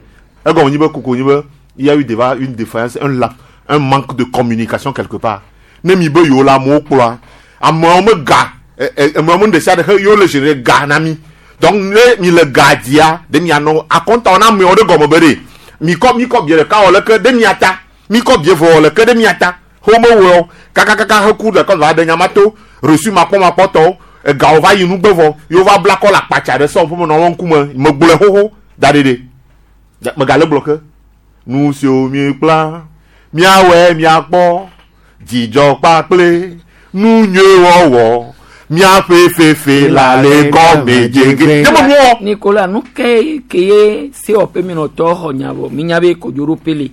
egɔme nyi be koko nyi be il y a eu déjà une défaillance un la un manque de communication quelque part ne mi be yewo la amewo kplɔa amewo me ga ɛ ɛ amewo me ɖe sia ɖe he yewo le gérer ga na mi donc ne mi le ga dia ɖe mianɔ akɔntawo na amewo ɖe gɔme be ɖe mi kɔ mi kɔ bie ɖeka wɔ leke ɖe mia ta mi kɔ bie vɔ wɔ leke ɖe mia ta he wo mewɔe o kakakaka he ku ɖeka va ɖe nyamato reçu makpɔmakpɔtɔwo egawo va yi nugbe vɔ yewo va bla kɔ le akpatsa ɖe sɔm ƒe nɔwɔ ŋkume megblɔe xoxo da ɖe ɖe megale gblɔ ke nu siwo miekpla miawɔe miakpɔ dzidzɔ kpakple nu nyuie wɔwɔ miaƒe fefe la le gɔme dzege. Ne me nuwɔ. Nicolas nu ke ke ye sewɔƒe minɔtɔ xɔ nya vɔ mi nya be kodzoɖoƒe le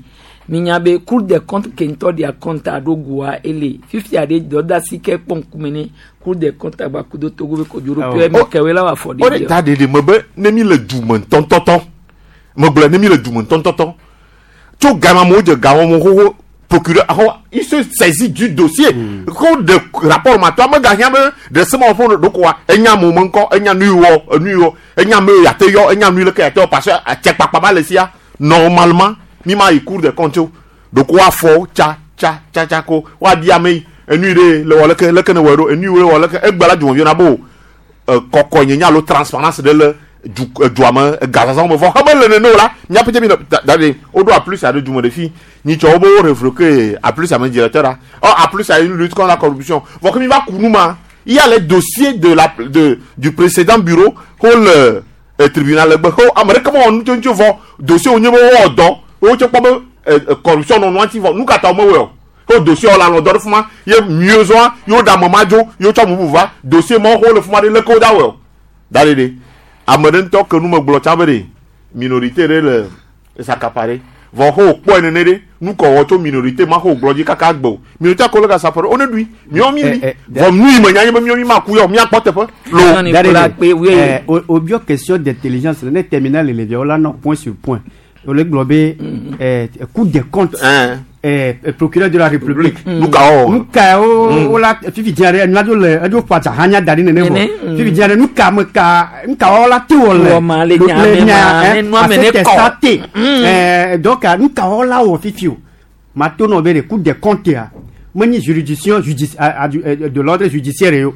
mi nya be cour des comptes ke ŋutɔ ɖia compte aɖo goa ele fifia ɖe dɔdasi ke kpɔ ŋkume ne cour des comptes agba kudo Togo be kodzoɖoƒe mi kɛwoe la wɔ afɔ o de ɖe ta ɖeɖe me be ne mi le du me ŋutɔŋutɔtɔ megblɔ ne mi le du me ŋutɔŋutɔtɔ tso gama me wodze gawɔme xoxo procureur axɔ il se saisit du dossier ko de rapport ma to ame gahiã be ɖe se ma wɔ ƒe ɖokoa enya amewo me ŋkɔ enya nu yi wɔ enu yi wɔ enya ame yi yate yɔ enya nu yi leke yate yɔ parce que atsɛkpakpa ba le sia normalement mi ma yi cour des comptes o ɖoko afɔ tsa tsa tsa tsa ko woabia ame yi enu yi ɖe le wɔ leke leke ne wɔe ɖo enu yi wɔ leke egbe la dumeviwo na bo kɔkɔ nye alo transparence ɖe le du dua me gazazã me vɔ xeme le nene o la míaƒe mi da da ɖe woɖo A plus aɖe dume ɖe fi nyitsɔ wo be wo révoqué A plus ame directeur la ɔ A plus a une lutte contre la corruption vɔ ke mi va ku nu ma il y a les dossiers de la de du précédent bureau ko le euh, tribunal le gbe ko ame ɖeke mewɔ nu tso vɔ dossier wo nye be wowɔ dɔ wo tse kpɔ be euh, corruption nɔ nua ŋuti vɔ nu katã wo mewɔe o ko dossier la nɔ dɔ ɖe fima ye mieux zɔa yewo ɖe ame ma dzo yewo tsɔ bubu va dossier ma wo le fima ɖe leke wo da wɔe o da ɖe ɖe ame ɖe ŋutɔ ke nu me gblɔ tsã be ɖe minorité ɖe le s'accaparer Vɔ xɔ kpɔe nene ɖe nu kɔ wɔ tso minorité ma xɔ gblɔ dzi kaka gbe o minorité ko le ka sapɔ ɖe wo ne ɖui miɔ mi li vɔ nu yi me nya nye be miɔ mi ma ku yɔ miakpɔ teƒe lo. Eh, o o bio question d'intelligence ne terminal le levia la non point sur point o le gblɔ be eh, Cour des comptes eh, eh, procureur de la République Nu ka wɔ? Nu ka o o la fifi dzia ɖe nua dzo le edzo ƒo adza hã nya da ɖi nene Nene, vɔ fifi dzia ɖe nu ka me ka nu ka wɔ la te wɔ le Wɔ ma le nya me ma, ne nua me ne kɔ. te eh, donc nu ka wɔ la wɔ fifi o ma to nɔ be de Cour des comptes ya menye juridiction judici a- a- eh, de l'ordre judiciaire ye o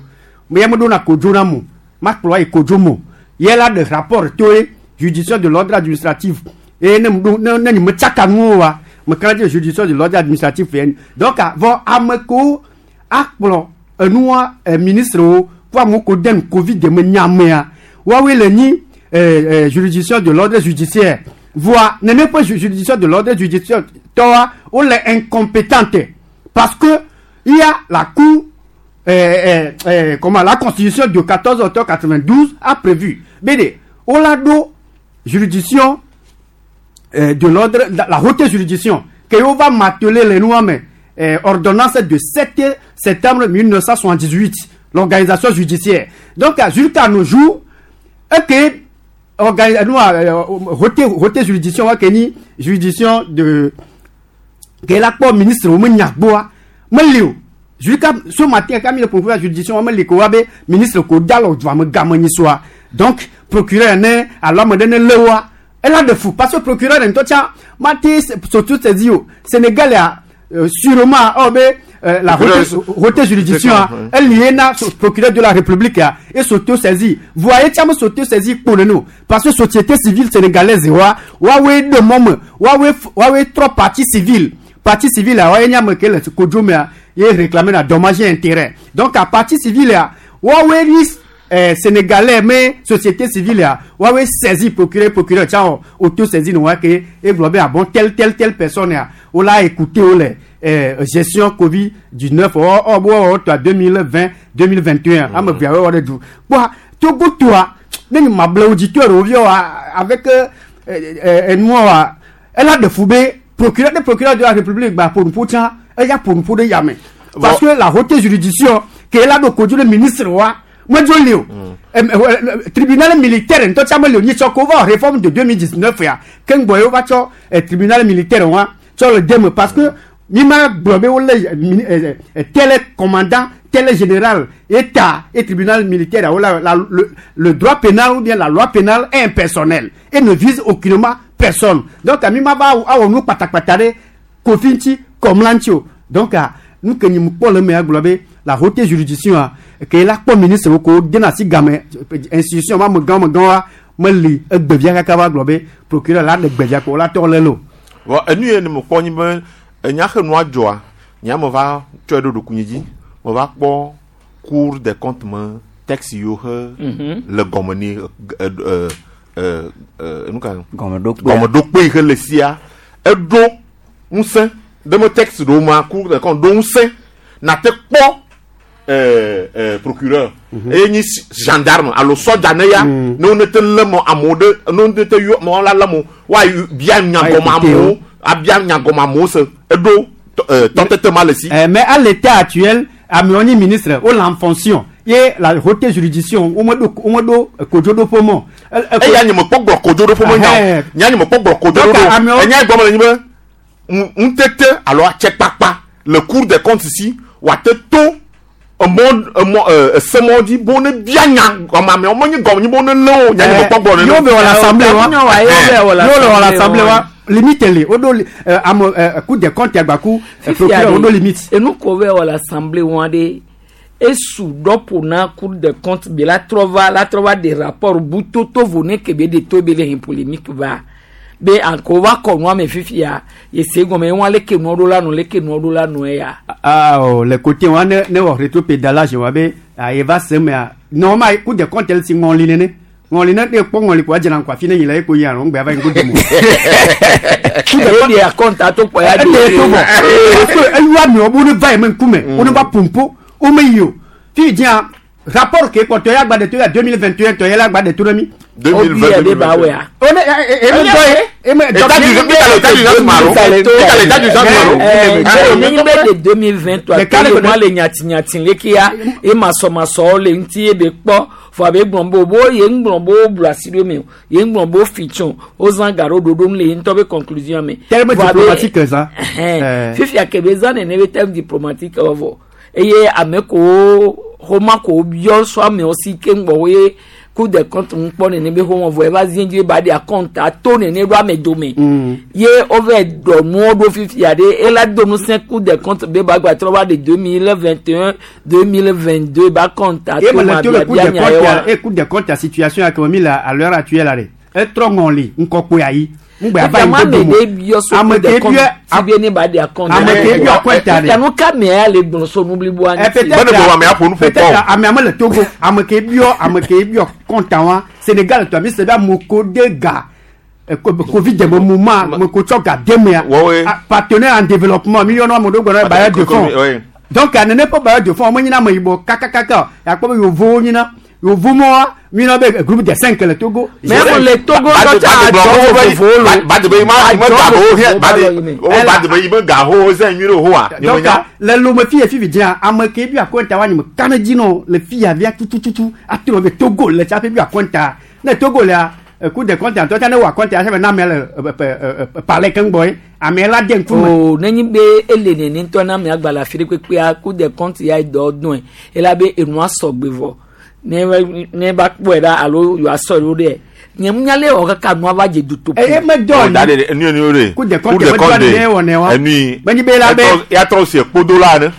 me me ɖona kodzo na mo ma kplɔ yi kodzo mo ye la de rapport to ye juridiction de l'ordre administratif eye ne ɖo ne ne me tsaka nuwo wa me kana dze juridiction de l'ordre administratif ye donc vɔ ame kewo akplɔ enua eh, ministre wo kó amewo ko de nu covid de me nyamea woawoe le nyi eh, eh, juridiction de l'ordre judiciaire voa nene ƒe ju- juridiction de l'ordre judiciaire tɔwa wole incompétente parce que il y a la cour euh, euh, euh, comment la constitution de quatorze octobre quatre-vingt-douze a prévu bede wola ɖo juridiction euh, de l'ordre la, la haute juridiction que wo va mateler le nua me euh, ordonnance de sept septembre mille neuf cent soixante-dix-huit, l'organisation judiciaire. Donc jusqu'à nos jours et que organi nua euh, haute haute juridiction wa ke ni juridiction de ke la kpɔ ministre wo me nya gbɔa meli o. Jusqu'à ce matin kami le procureur juridiction wa meli ko wa be ministre ko da lɔ dua me game nyi soa. Donc procureur ne alo ame ɖe ne lé wa ela de fou parce que procureur ŋutɔ tsã ma te surtout saisi o Sénégal ya euh, sûrement ɔ be euh, la haute, haute juridiction elle na procureur de la République ya et s'auto saisi voyez tsã me s'auto saisi kpo nene o parce que société civile sénégalaise wa woawoe ɖe mɔ me woawoe woawoe trɔ partie civile. Partie civile a woawoe nye ame ke le kodzo mea ye réclamer na dommage et intérêt. Donc a partie civile ya woawoe ni eh, sénégalais mais société civile ya woawoe saisi procureur. Procureur tsã wɔ auto saisi ne wa ke egblɔ be ah bon, telle telle telle personne ya wola écouter wo le eh, gestion Covid dix-neuf ɔ ɔ bo wɔ tɔ deux mille vingt deux mille vingt et un ame veawo wɔ ɖe du kpɔa Togo toa ne nye mable auditeur wo viɔ wa avec euh, euh, enua wa ela ɖe fu be procureur de procureur de la République gba ƒonuƒo tsã eya ƒonuƒo ɖe yame parce que la haute juridiction ke ela ɖo kodzo ɖe ministre wa medzo li o. Em, eh, eh, tribunal militaire ŋutɔ tsã meli o. Nyitsɔ ko va réforme de deux mille dix-neuf ya ke ŋgbɔ ye wova tsɔ eh, tribunal militaire wa tsɔ le deme parce que mi ma gblɔ be wole eh, mini- eh, eh, tel commandant, tel général état et tribunal militaire la, la, le, le droit pénal ou bien la loi pénale est impersonnelle et ne vise aucunement personne. Donc mi ma va awɔ nu kpatakpata ɖe kofi ŋuti kɔmla ŋuti o. Donc ah, nu ke nyi mu kpɔ le mea gblɔ be la haute juridiction a ke la kpɔ ministre wo ko dena asi game institution ma megã megã wa meli egbevia kaka va gblɔ be procureur la ɖe gbevia ko la tɔ le lo. Vɔ enu ye ne me kpɔ nyi be enya xe nua dzɔa nya me va tsɔe ɖo ɖokuinye dzi me va kpɔ Cour des comptes me texte yiwo xe Mhm. le gɔme ni ɛ ɛ ɛ ɛ nu ka Gɔmeɖokpea. Gɔmeɖokpe yi xe le sia eɖo ŋusẽ ɖe me texte ɖewo ma Cour des comptes ɖo ŋusẽ nate kpɔ ɛɛ ɛɛ procureur eye nyi gendarme alo sɔdza ne ya ne wo ne te lé mɔ amewo ɖe ne wo ne te yɔ mɔ la lé mo woayi bia nyagɔme amewo abia nyagɔme amewo se eɖo tɔ- ɛɛ tɔtete ma le si. Eh, mais à l'état actuel amewo nyi ministre wo le en fonction ye la haute juridiction wo meɖo wo meɖo kodzoɖoƒe mɔ. Eya nye me kpɔ gblɔ kodzoɖoƒe me nya o nya nye me kpɔ gblɔ kodzoɖoƒe Donc, amewo- enya gɔme le nyi be ŋu- ŋutete alo atsɛkpakpa le Cour des comptes si wòate to emɔ emɔ ɛ esemɔ dzi bo ne bia nya gɔme amewo menye gɔme nyi bo ne lé o nya nye me kpɔ gblɔ nene. Y'o bɛ wɔ l'assemblée wa y'o le wɔ l'assemblée wa limite le o ɖo euh, ame euh, Cour des comptes agbaku euh, procureur o ɖo limite. Enu ko bɛ wɔ l'assemblée wa de esu dɔpo na Cour des comptes bi la trɔ va la trɔ va de rapport butoto vo ne ke be de to be le hin polémique va be anko va kɔ nua me fifia yese gɔmɛ wọn leke nua ɖo la nu leke nua ɖo la nu ya. Ah oh, le côté wa ne ne wɔ rétropédalage wa be ayi va se mea normalement Cour des comptes si ŋɔli nene ŋɔli ne ne kpɔ ŋɔli ko adzena ŋkɔ afi ne yi le eko yi alo ŋgbɛ ava yi ŋgo domo. E de akɔnta to kpɔ ya e de to bɔ parce que eyu amewo bo ne va yi me ŋkume wo ne va pompo wo me yi o fi dzia Rapport ke kpɔtɔ ya gba de to ya deux mille vingt et un tɔ yɛ la gba de to ɖe mi. deux mille vingt deux mille vingt et un. O ne e e dɔ ye. État d'urgence, mi ka le état d'urgence ma lo. Mi ka le état d'urgence ma lo. Nenyi be de deux mille vingt trois ke ma le nyatinyati leke ya e masɔmasɔwo le ŋuti ye be kpɔ fɔ abe gblɔ be bo ye ŋgblɔ be wo blu asi ɖo me o ye ŋgblɔ be wo fi tsɔ wo zã ga ɖo ɖoɖo nu le ye ŋutɔ be conclusion me. Terme diplomatique zã. Fifia ke be zã nene be terme diplomatique wɔ vɔ eye ame kowo xɔma kowo biɔ sɔ amewo si ke ŋgbɔ wo ye Cour des comptes ŋu kpɔ nene be xɔmɔ vɔ eva zi dzi ba de akɔnta to nene ɖo ame dome ye wova dɔ nuwo ɖo fifia ɖe ela do ŋusẽ Cour des comptes be ba gba trɔ va de deux mille vingt et un deux mille vingt deux ba kɔnta to ma biabia nya ye wa. E Cour des comptes a situation ya ke mi la à l'heure actuelle la de etrɔ ŋɔli ŋkɔkpoe ayi ŋgbɛ ava yi dodo mo ame ke biɔ tibe ne ba de akɔnta ame ke biɔ akɔnta de kanu ka mɛ ya le gblɔ so nubliboa ŋuti. Peut-être ame ame le Togo ame ke biɔ ame ke biɔ kɔnta wa Sénégal tɔ mi se be ameko de ga Covid de moment meko tsɔ ga de mea partenaire en développement mi yɔnɔ ame ɖewo gbɔna bailleur de fonds donc nene ƒe bailleur de fonds me nyina ame yibɔ kakakaka akpɔ be yevowo nyina yevo mɔa mi na be groupe de cinq le Togo. Mais le Togo dɔ tsa adzɔ vovovowo lo. Ba de be ma ma ga ho he ba de o ba de be ma ga ho ze nyui ho wa. Donc le lome fi fi dzia ame ke bi akɔnta wa nyime kan dzi nɔ le fi ya via tutututu atrɔ be Togo le tsa fi bi akɔnta ne Togo lea Cour des comptes ŋutɔ tsa ne wɔ akɔnta sɛbɛn na amea le palais keŋ ye amea la de ŋkume. O nenyi be ele nene ŋutɔ na amea gba le afi ɖe kpekpea Cour des comptes ya dɔ dɔn ela be enua sɔgbe vɔ. Ne ne ba kpɔe ɖa alo yewoa sɔ ɖo ɖe nye ŋunya le wɔ kaka nua va dze dutoƒo. Eye medɔ ni. Da de enu enu de. Cour des comptes medɔ ni ne wɔ ne wa. Enui. Menyi be la be. Ya trɔ si kpodo la ne.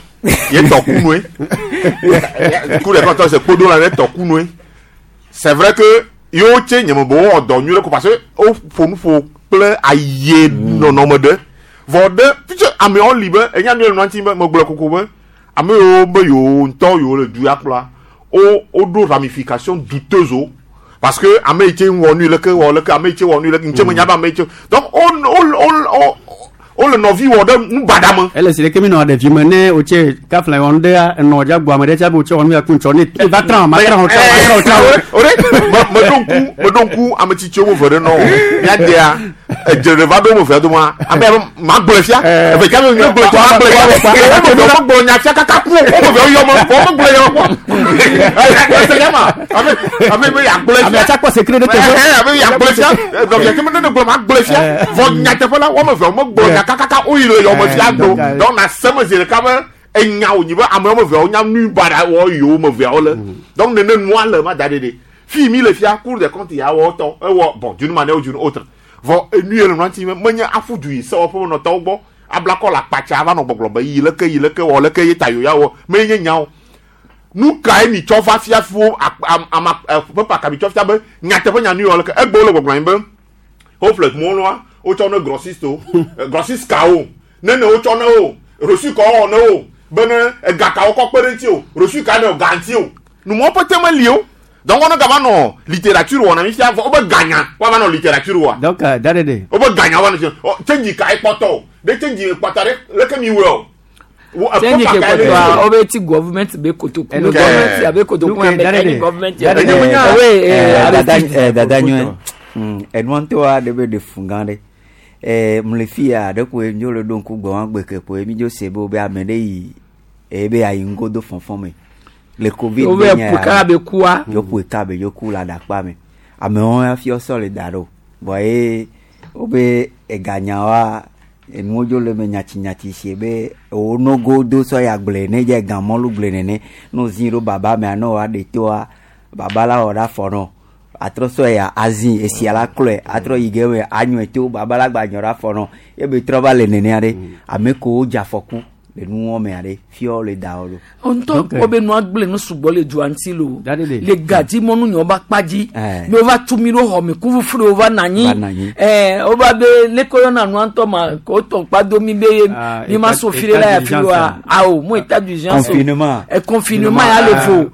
Ye tɔ kunue. Cour des comptes se kpodo la ne tɔ kunue. C'est vrai que yewo tse nye me bo wɔ dɔ nyuie ko parce que wo ƒo nu ƒo kple aye nɔnɔme ɖe. Vɔ ɖe fitse amewo li be enya nu le nua ŋuti be megblɔ koko be ame yiwo be yewo ŋutɔ yewo le du ya kplɔa. O do ramification douteuse parce que ame tse wɔ nu leke wɔ leke ame tse wɔ nu leke ntse me nya be ame tse donc o o o o le nɔvi wɔ ɖe nu baɖa me. Ele si ɖeke mi nɔ ɖevi me ne o tse kafla wɔn ɖe enɔ dza gbɔ ame ɖe tsa be o tse wɔ nu ya ku ŋtsɔ ne e va trã ma trã o trã o trã o trã o. O de me ɖo ŋku me ɖo ŋku ame tsitsiwo me ve ɖe nɔ o miadea edze ɖe va ɖo me ve doma ame ya ma gblɔe fia eve tsa be mi gblɔe tɔ ma gblɔe fia o me ve gblɔ nya fia kaka ku o me ve yɔ me o me gblɔe yɔ kpɔ ese ya ma ame ame be ya gblɔe fia ame tsa kpɔ secret ɖe teƒe ame ya gblɔe fia nɔvia tse me ne gblɔ ma gblɔe fia vɔ nyateƒe la wɔme ve me gblɔ nya kakaka o yi le yɔ me fia do donc na se me zi ɖeka be enya wònyi be ame wɔme veawo nya nu baɖa wɔ yewo me veawo le donc nene nua le ma da ɖe ɖe fi mi le fia Cour des comptes ya wɔ tɔ ewɔ bon d'une manière ou d'une autre vɔ enu ye le nua ŋuti menye afu du yi sewɔƒe menɔtɔwo gbɔ ablakɔ le akpatsa va nɔ gbɔgblɔ be yi leke yi leke wɔ leke ye ta yoya wɔ menye nyawo nu kae mi tsɔ va fia fiwo ama pepa ka mi tsɔ fia be nyateƒe nya nu yɔ leke egbe wole gbɔgblɔ anyi be woƒle mɔlua wotsɔ ne grossiste o grossiste kawo nene wotsɔ ne o reçu kawo wɔ ne o bene egakawo kɔ kpe ɖe ŋuti o reçu ka ne o ga ŋuti o numɔwo ƒete meli o donc on gava nɔ littérature wɔna mi fia vɔ wobe ganya woava nɔ littérature wa. Donc da ɖe ɖe. Wobe ganya woava nɔ tsenji ka ekpɔtɔ o ɖe tsenji kpɔtɔ ɖe leke mi wɔ o. Tsenji ke kpɔtɔa wobe ti government be kotoku government abe kotoku ame ka government ya. Oye dada nyɔe enua ŋutɔ aɖe be ɖe fun gã ɖe mle fi ya ɖe koe dzo le ɖo ŋku gbɔ wa gbe ke koe mi dzo se be wobe ame ɖe yi ebe ayi ŋgodo fɔfɔ me. Le Covid be nya ya be kua yo ƒo ka be yo ku la ɖakpa me amewo ya fi sɔ le da ɖo vɔ ye wobe eganya wa enuwo dzo le me nyati nyati si be wo nogo do sɔ ya gblẽ ne dze gamɔlu gblẽ nene no zi ɖo baba mea ne woa ɖe toa baba la wɔ ɖe afɔ nɔ atrɔ sɔ ya azi esia la klɔe atrɔ yi ge me anyɔe to baba la gba nyɔ ɖe afɔ nɔ ye be trɔ va le nenea ɖe ame kowo dze afɔku le nuwɔ mea ɖe fiɔ le da wo ɖo. Ŋutɔ kpɔ be nua gblẽ nu sugbɔ le dua ŋuti lo le gadzi mɔnu nyɔ ba kpa dzi mi wova tu mi ɖo xɔ mi kufufu ɖe wova na anyi ɛɛ wova be leke yɔna nua ŋutɔ ma ko tɔ kpa do mi be mi ma so fi ɖe la ya fi wa awo mo état d'urgence confinement ɛ confinement ya le fo.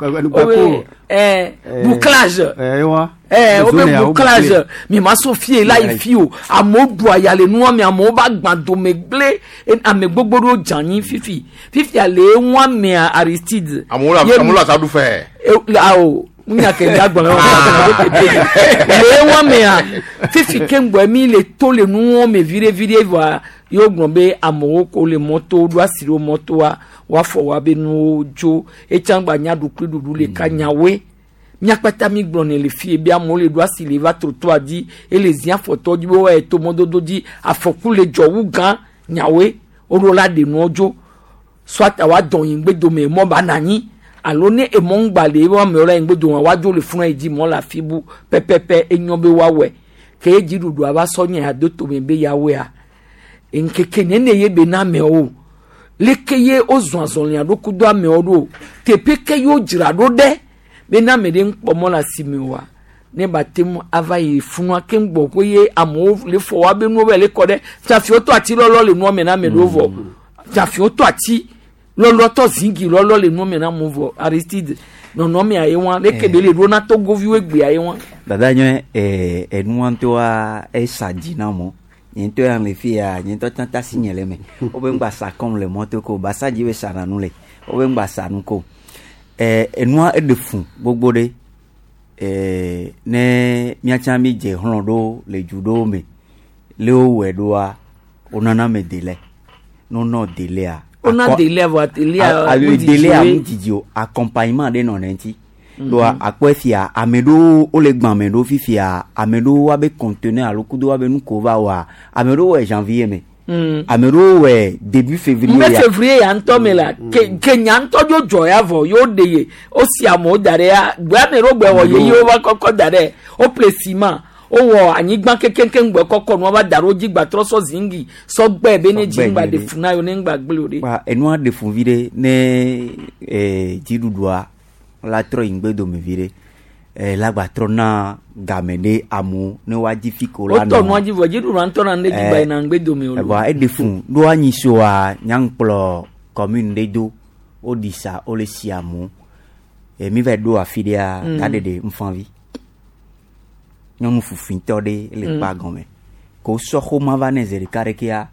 Eh, bouclage. Eh, wa. Eh, wo Zone be ya, wo bouclage. bouclé. Mi ma so fie la yi fi o. Amewo ɖu aya le nua me, amewo ba gbã dome gblẽ. E, Ame gbogbo ɖewo dze anyi fifi. Fifia le eŋua mea Aristide. Amewo le Ye- amewo le asaɖu fɛ. E, awo nya ke nya gblɔ le eŋua mea fifi keŋgbɔ mi le to le nuwo me viɖe viɖe vɔa yewo gblɔ be amewo ko le mɔto ɖo asi ɖo mɔtoa woafɔ wa be nuwo dzo etsã gba nya ɖukli ɖuɖu le ka nyawoe miakpata mi gblɔ ne le fie be amewo le ɖo asi le va trottoir dzi ele zi afɔtɔ dzi be woayi to mɔdodo dzi afɔku le dzɔ wu gã nyawoe woɖo la ɖe nuwo dzo soit awa dɔn yi ŋgbe dome mɔ ba na anyi alo ne emɔ ŋgba le ebe amewo la yi ŋgbe dome woadzo le funu yi dzi mɔ le afi bu pɛpɛpɛ enyo be woawɔe ke ye dziɖuɖua va sɔ nye ya do tome be yawoea nkeke nene ye be na amewo leke ye wozɔ azɔlia ɖo kudo amewo ɖo teƒe ke ye wodzra ɖo ɖe be na ame ɖe ŋkpɔ mɔ le asime oa ne ba te ŋu ava yi funua ke ŋgbɔ ko ye amewo le fɔ wa be nuwo be le kɔ ɖe fiafiwo tɔ ati lɔlɔ le nua me na ame ɖewo vɔ fiafiwo tɔ ati lɔlɔtɔ zingi lɔlɔ le nua me na amewo vɔ Aristide nɔnɔmea ye wa leke be le ɖo na togoviwo egbea ye wa. Dada nye eh, enua ŋutɔa esa dzi na mɔ nye ŋutɔ ya le fi ya nye ŋutɔ tsã tasi nye le me wobe ŋgba sa kɔm le mɔto ko basa dzi be sana nu le wobe ŋgba sa nu ko eh, enua eɖe fũ gbogbo ɖe eh, ne míatsã mi dze hlɔ̃ ɖo le du ɖewo me le wowɔe ɖoa wonana me délai ne wonɔ délai Wona délai vɔa délai a ŋudidi délai woe. ŋudidi o accompagnement ɖe nɔ ne ŋuti Mhm. ɖoa akpɔe fia ame ɖewo wole gbã ame ɖewo fifia ame ɖewo woabe conteneur alo kudo woabe nu ko va wɔa ame ɖewo wɔe janvier me Mm. ame ɖewo wɔe début février mbe ya février ya ŋutɔ me la ke ke nya ŋutɔ dzo dzɔ ya vɔ yewo ɖe ye wosi amewo da ɖe ya gbe ame ɖewo gbe wɔ ye ye wova kɔkɔ da ɖe wople ciment wowɔ anyigba kekekeŋ gbe kɔkɔ nua va da ɖe wo dzi gbatrɔ sɔ zingi sɔ gbɛ be ne dzi Sɔ gbɛ ŋgba ɖe nyuie fu na yewo ne ŋgba gblẽ o ɖe. Kpa enua ɖe fu vi ɖe ne eh, dziɖuɖua la trɔ yi ŋgbe dome vi ɖe eh, la gba trɔ na game ɖe amewo ne woadzi fi ko la wotɔ nɔ. nua dzi vɔ dziɖuɖua ŋutɔ na ne dzi gba yina ŋgbe dome o. Evoa eɖe fũ ɖo anyi soa nyaŋkplɔ commune ɖe do woɖi sa wole si amewo e mi va ɖo afi ɖea Mm. ta ɖeɖe ŋfavi nyɔnu fufutɔ ɖe le Mm. kpa gɔme ko sɔ xoma va ne zi ɖeka ɖekea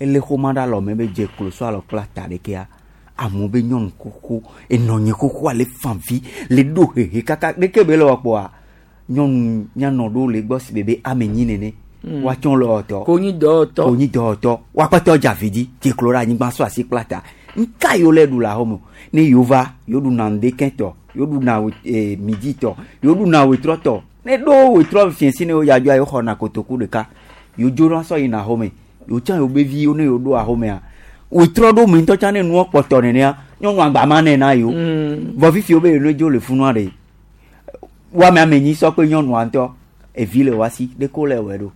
ele xoma ɖe alɔme be dze klo sɔ alɔ kpla ta ɖekea amewo be nyɔnu xoxo enɔnye xoxoa le fanvi le ɖo hehe kaka ɖeke be le wɔ kpɔa nyɔnu nyanɔ ɖewo le gbɔ si be be ame nyi nene Mm. woatsɔ le wɔtɔ konyi dɔwɔtɔ konyi dɔwɔtɔ woakpɛtɔ dze avi dzi dze klo ɖe anyigba sɔ asi kpla ta nka yiwo le ɖu le axɔme ne yewo va yewo ɖuna ŋdekɛtɔ yewo ɖuna we- eh, midi tɔ yewo ɖuna wetrɔ tɔ ne ɖo wetrɔ fiɛsi ne yewo dzadzɔa yewo xɔna kotoku ɖeka yewo dzona sɔ yina axɔme yewo tsã yewo be viwo ne yewo ɖo axɔmea wetrɔ ɖo me ŋutɔ tsã ne nuɔ kpɔtɔ nenea nyɔnu agba ma nɛ na yewo vɔ fifi wo be yewo ne dzo le funua ɖe woame ame nyi sɔ kpe nyɔnua ŋutɔ evi le woasi ɖeko le wɔe ɖo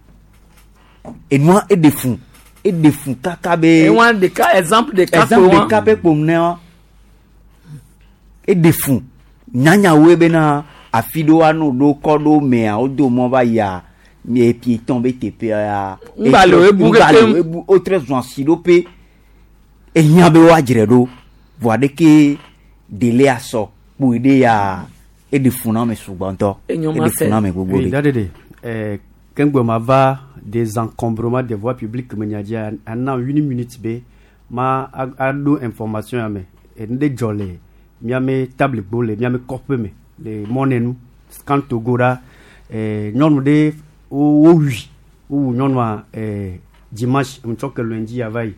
enua eɖe fũ eɖe fũ kaka be ewa ɖeka exemple ɖeka exemple kpo wa. ɖeka pe kpom ne wa eɖe fũ nyanyawoe bena afi ɖewo ano ɖo kɔ ɖo mea wodo mɔ va yia mie piéton be teƒea ya Ŋgba le wo ebu ŋgba le kekem. wo ebu wotrɔ zɔn asi ɖo pe ehiã be woadzre ɖo voa ɖeke délai asɔ kpoe ɖe ya eɖe fũ na ame sugbɔ ŋutɔ Enyo ma eɖe se. fũ na ame gbogbo Oui, ɖe. dadede eh, kengbe ma va désencombrement des voies publiques me nya dzi ana une minute be ma a- aɖo information ya me enu ɖe dzɔ le miame table gbo le miame kɔƒe me le mɔnenu scan togo ɖa eh, nyɔnu ɖe wo wowui wowu nyɔnua eh, dimanche ŋutsɔ ke lundi ya va yi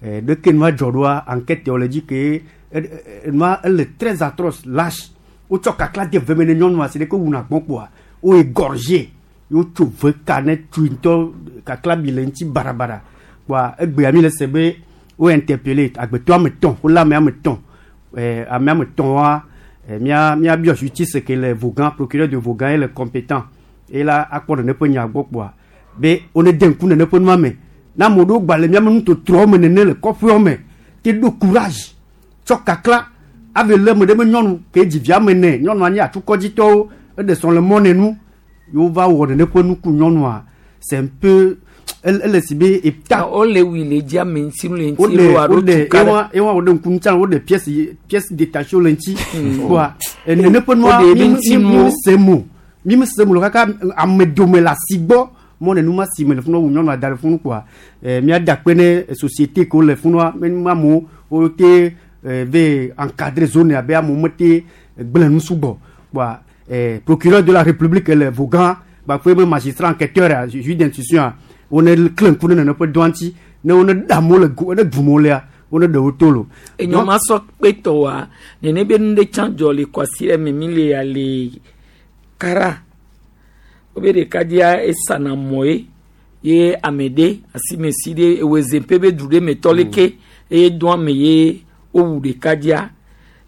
eh, ɖeke nua dzɔ ɖoa enquête yawo le dzi ke eh, eh, nua ele très atroce lâche wotsɔ kakla de veme ne nyɔnua si ɖe ke wuna gbɔn kpoa wo égorgé wotso ve ka ne tui ŋutɔ kakla bi le ŋuti barabara kpoa egbea mi le se be wo interpellé agbetɔ ame tɔn wole ame ame tɔn eh, ame ame tɔn wa eh, mía míabiɔ justice ke le Vogan procureur de Vogan ye le compétent eye la akpɔ nene ƒe nya gbɔ kpoa be wone de ŋku nene ƒe nua me na ame ɖewo gba le míame nutotrowo me nene le kɔƒewo me te ɖo courage tsɔ kakla ave le ame ɖe be nyɔnu ke dzi via me nɛ nyɔnua nye atukɔdzitɔwo eɖe srɔ̃ le mɔ nenu yewo va wɔ nene ƒe nuku nyɔnua c'est un peu Ele si be eta. Wole wi le dzi ame ŋuti nu le ŋuti Wole lo alo wole tuka ɖe. ewa ewa wo ɖe ŋku ŋuti wole pièce pièce détachée le ŋuti. Kpoa nene ƒe nua Wode mi ebe mi ŋuti mi nuwo. mi se mo mi mi se mo le kaka ame dome le asi gbɔ mɔ ne numa si me le funua wu nyɔnua da le funu kpoa ɛ mía da kpe ne société ke wole funua me nu amewo wo te ɛ ve encadrer zone abe amewo mete gblẽ nu sugbɔ kpoa ɛ procureur de la république le Vogan gbakpe be magistrat enquêteur a juge d'instruction a wo ne kle ŋku ne nene ƒe dɔa ŋuti ne wo ne ɖe amewo le go ne gum wo lea wo ne ɖe wo to lo. Enyɔ ma sɔ kpe tɔ wa nene be nu ɖe tsã dzɔ le kwasi ɖe me mi le ya le kara wobe ɖekadzia esana mɔ ye ye ame ɖe asimesi ɖe ewezeƒe be du ɖe me tɔ leke eye do ame ye wowu ɖekadzia